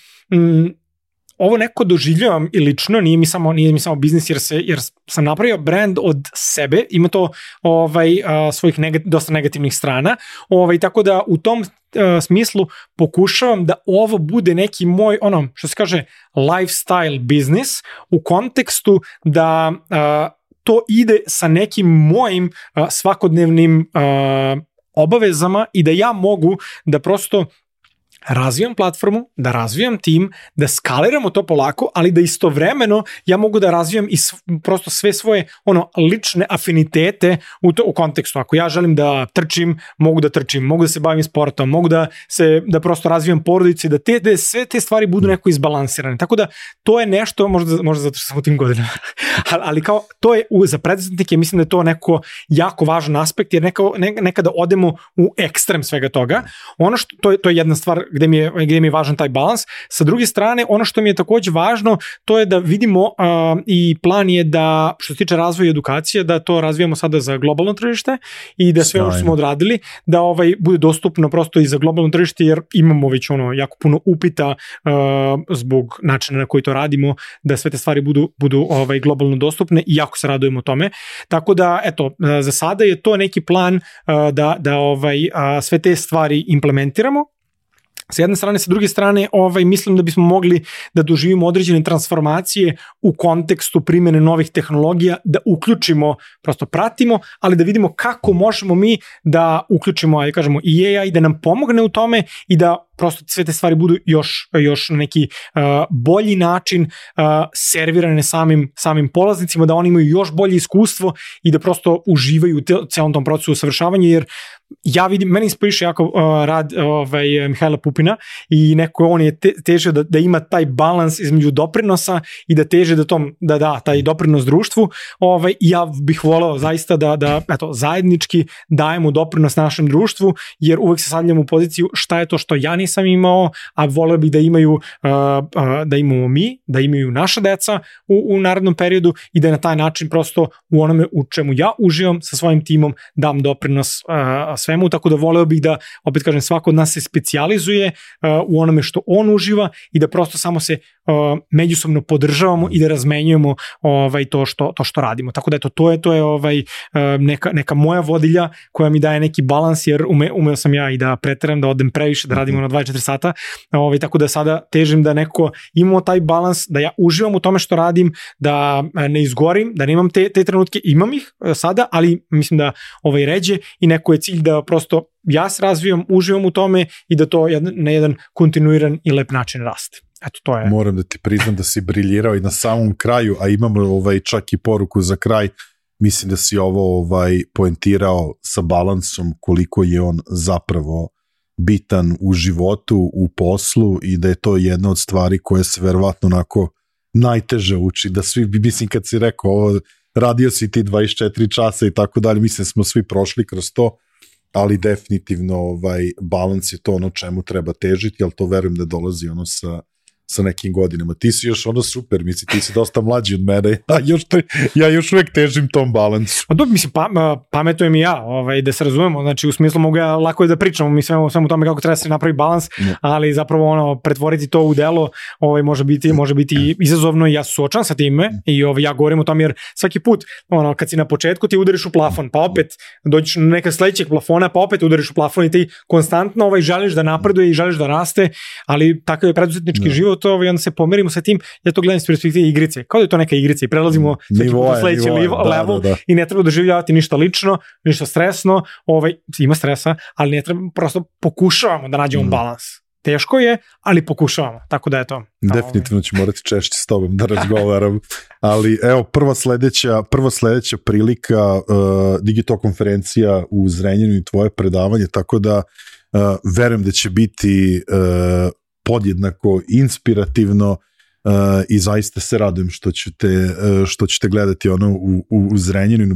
ovo neko doživljavam i lično, nije mi samo biznis jer sam napravio brand od sebe, ima to svojih dosta negativnih strana, tako da u tom smislu pokušavam da ovo bude neki moj, što se kaže, lifestyle biznis u kontekstu da to ide sa nekim mojim svakodnevnim obavezama i da ja mogu da prosto razvijam platformu, da razvijam tim, da skaliramo to polako, ali da istovremeno ja mogu da razvijam i prosto sve svoje lične afinitete u kontekstu. Ako ja želim da trčim, mogu da trčim, mogu da se bavim sportom, mogu da prosto razvijam porodici, da sve te stvari budu neko izbalansirane. Tako da to je nešto, možda zato što sam u tim godinama, ali kao to je za preduzetnike, mislim da je to neko jako važan aspekt, jer nekada odemo u ekstrem svega toga. Ono što, to je jedna stvar gde mi je važan taj balans. Sa druge strane, ono što mi je takođe važno, to je da vidimo i plan je da, što se tiče razvoja i edukacije, da to razvijamo sada za globalno tržište i da sve ono što smo odradili, da bude dostupno prosto i za globalno tržište, jer imamo već jako puno upita zbog načina na koji to radimo, da sve te stvari budu globalno dostupne i jako se radujemo tome. Tako da, eto, za sada je to neki plan da sve te stvari implementiramo. Sa jedne strane, sa druge strane, mislim da bismo mogli da doživimo određene transformacije u kontekstu primjene novih tehnologija, da uključimo, prosto pratimo, ali da vidimo kako možemo mi da uključimo, ajde kažemo, i AI, da nam pomogne u tome i da prosto sve te stvari budu još na neki bolji način servirane samim polaznicima, da oni imaju još bolje iskustvo i da prosto uživaju u celom tom procesu usavršavanja, jer ja vidim, meni inspiriše jako rad Mihajla Pupina i on je težio da ima taj balans između doprinosa i da teže da da taj doprinos društvu. Ja bih voleo zaista da zajednički dajemo doprinos našem društvu, jer uvek se stavljamo u poziciju šta je to što ja nisam imao, a voleo bih da imamo mi, da imaju naša deca u narednom periodu i da na taj način prosto u onome u čemu ja uživam sa svojim timom dam doprinos svemu, tako da voleo bih da, opet kažem, svako od nas se specijalizuje u onome što on uživa i da prosto samo se međusobno podržavamo i da razmenjujemo to što radimo. Tako da eto, to je neka moja vodilja koja mi daje neki balans, jer umeo sam ja i da preteram, da odem previše, da radimo na 24 sata, tako da sada težim da neko imamo taj balans, da ja uživam u tome što radim, da ne izgorim, da nemam te trenutke, imam ih sada, ali mislim da ređe i neko je cilj da prosto ja se razvijam, uživam u tome i da to na jedan kontinuiran i lep način raste. Eto, to je. Moram da ti priznam da si briljirao i na samom kraju, a imamo čak i poruku za kraj. Mislim da si ovo poentirao sa balansom koliko je on zapravo bitan u životu, u poslu i da je to jedna od stvari koje se verovatno onako najteže uči, da svi, mislim kad si rekao ovo, radio si ti 24 časa i tako dalje, mislim smo svi prošli kroz to, ali definitivno balans je to ono čemu treba težiti, ali to verujem da dolazi ono sa nekim godinama. Ti si još ono super, mislim, ti si dosta mlađi od mene, ja još uvek težim tom balansu. Pa dobro, mislim, pametujem i ja, da se razumemo, znači u smislu mogu ja lako da pričam, mi svemu tome kako treba se napravi balans, ali zapravo pretvoriti to u delo može biti izazovno i ja suočam sa time i ja govorim o tom jer svaki put, kad si na početku ti udariš u plafon, pa opet dođeš na neka sledećeg plafona, pa opet udariš u plafon i ti konstantno želiš da napreduje i želiš da raste, ali takav je preduzetnički život i onda se pomerimo sa tim, ja to gledam iz perspektive igrice, kao da je to neka igrica i prelazimo u sledeći level i ne treba doživljavati ništa lično, ništa stresno, ima stresa, ali ne treba, prosto pokušavamo da nađemo balans. Teško je, ali pokušavamo, tako da je to. Definitivno ću morati češće s tobom da razgovaram, ali evo, prva sledeća prilika, Digitalk konferencija u Zrenjaninu i tvoje predavanje, tako da verujem da će biti podjednako inspirativno i zaista se radujem što ćete gledati ono u Zrenjaninu,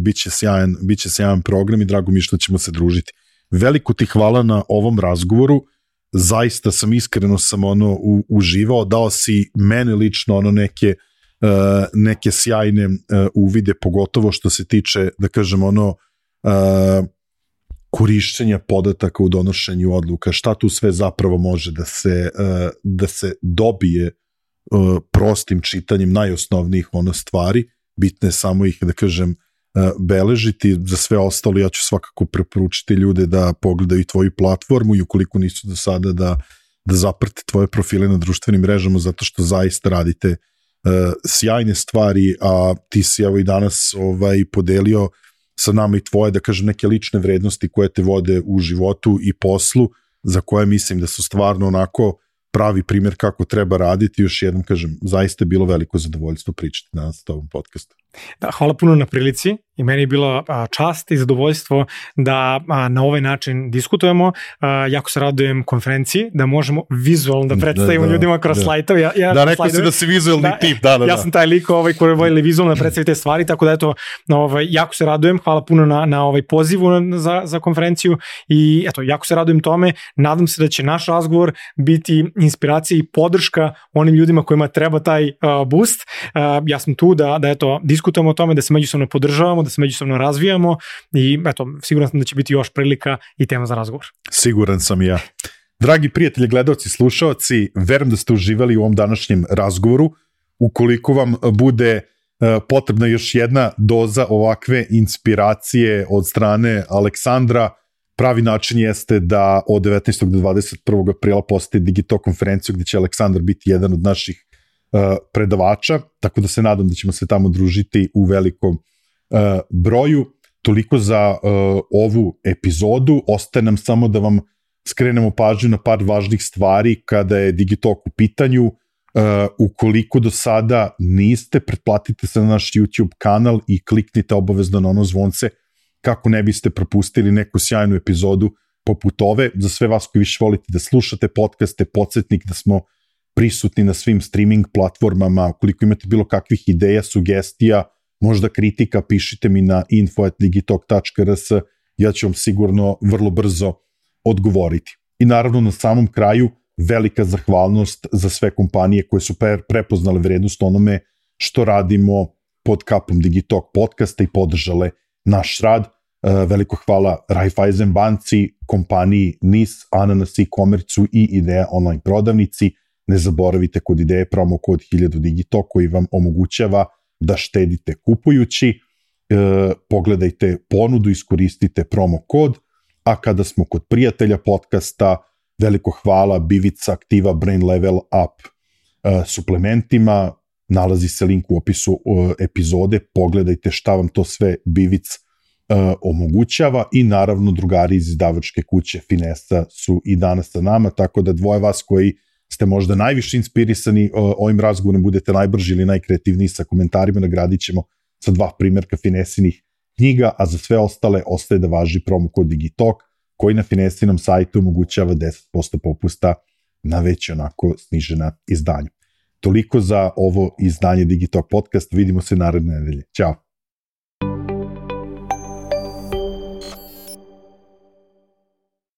biće sjajan program i drago mi je što ćemo se družiti. Veliko ti hvala na ovom razgovoru, zaista sam iskreno uživao, dao si mene lično neke sjajne uvide, pogotovo što se tiče, da kažem, korišćenja podataka u donošenju odluka, šta tu sve zapravo može da se dobije prostim čitanjem najosnovnijih stvari, bitno je samo ih, da kažem, beležiti. Za sve ostalo ja ću svakako preporučiti ljude da pogledaju tvoju platformu i ukoliko nisu do sada da zaprate tvoje profile na društvenim mrežama, zato što zaista radite sjajne stvari, a ti si evo i danas podelio sa nama i tvoje, da kažem, neke lične vrednosti koje te vode u životu i poslu, za koje mislim da su stvarno onako pravi primjer kako treba raditi. Još jednom kažem, zaista je bilo veliko zadovoljstvo pričati danas na ovom podcastu. Da, hvala puno na prilici i meni je bila čast i zadovoljstvo da na ovaj način diskutujemo. Jako se radujem konferenciji, da možemo vizualno da predstavimo ljudima kroz slajtove. Da, rekao si da si vizualni tip. Da. Ja sam taj lik koji voli vizualno da predstavi te stvari, tako da eto, jako se radujem. Hvala puno na pozivu za konferenciju i eto, jako se radujem tome. Nadam se da će naš razgovor biti inspiracija i podrška onim ljudima kojima treba taj boost. Ja sam tu da eto, diskutujemo o tome, da se međusobno podržavamo, da se međusobno razvijamo i eto, siguran sam da će biti još prilika i tema za razgovor. Siguran sam i ja. Dragi prijatelji, gledalci, slušalci, verujem da ste uživali u ovom današnjem razgovoru. Ukoliko vam bude potrebna još jedna doza ovakve inspiracije od strane Aleksandra, pravi način jeste da od 19. do 21. aprila posete Digitalk konferenciju gde će Aleksandar biti jedan od naših predavača, tako da se nadam da ćemo se tamo družiti u velikom broju. Toliko za ovu epizodu. Ostaje nam samo da vam skrenemo pažnju na par važnih stvari kada je Digitalk u pitanju. Ukoliko do sada niste, pretplatite se na naš YouTube kanal i kliknite obavezno na ono zvonce kako ne biste propustili neku sjajnu epizodu poput ove. Za sve vas koji više volite da slušate podcaste, podsjetnik da smo prisutni na svim streaming platformama. Ukoliko imate bilo kakvih ideja, sugestija, možda kritika, pišite mi na info@digitalk.rs, ja ću vam sigurno vrlo brzo odgovoriti. I naravno na samom kraju velika zahvalnost za sve kompanije koje su prepoznale vrednost onome što radimo pod kapom Digitalk podcasta i podržale naš rad. Veliko hvala Raiffeisen banci, kompaniji NIS, Ananas e-commerce i Ideja online prodavnici. Ne zaboravite kod Ideje promo kod 1000 Digitalk koji vam omogućava da štedite kupujući. Pogledajte ponudu, iskoristite promo kod, a kada smo kod prijatelja podcasta, veliko hvala Bivica Aktiva Brain Level Up suplementima, nalazi se link u opisu epizode, pogledajte šta vam to sve Bivic omogućava i naravno drugari iz izdavačke kuće Finesa su i danas sa nama, tako da dvoje vas koji ste možda najviše inspirisani ovim razgovorom, budete najbrži ili najkreativniji sa komentarima, nagradit ćemo sa 2 primjerka Finesinih knjiga, a za sve ostale ostaje da važi promo kod Digitalk, koji na Finesinom sajtu omogućava 10% popusta na već onako snižena izdanja. Toliko za ovo izdanje Digitalk podcast, vidimo se naredne nedelje. Ćao!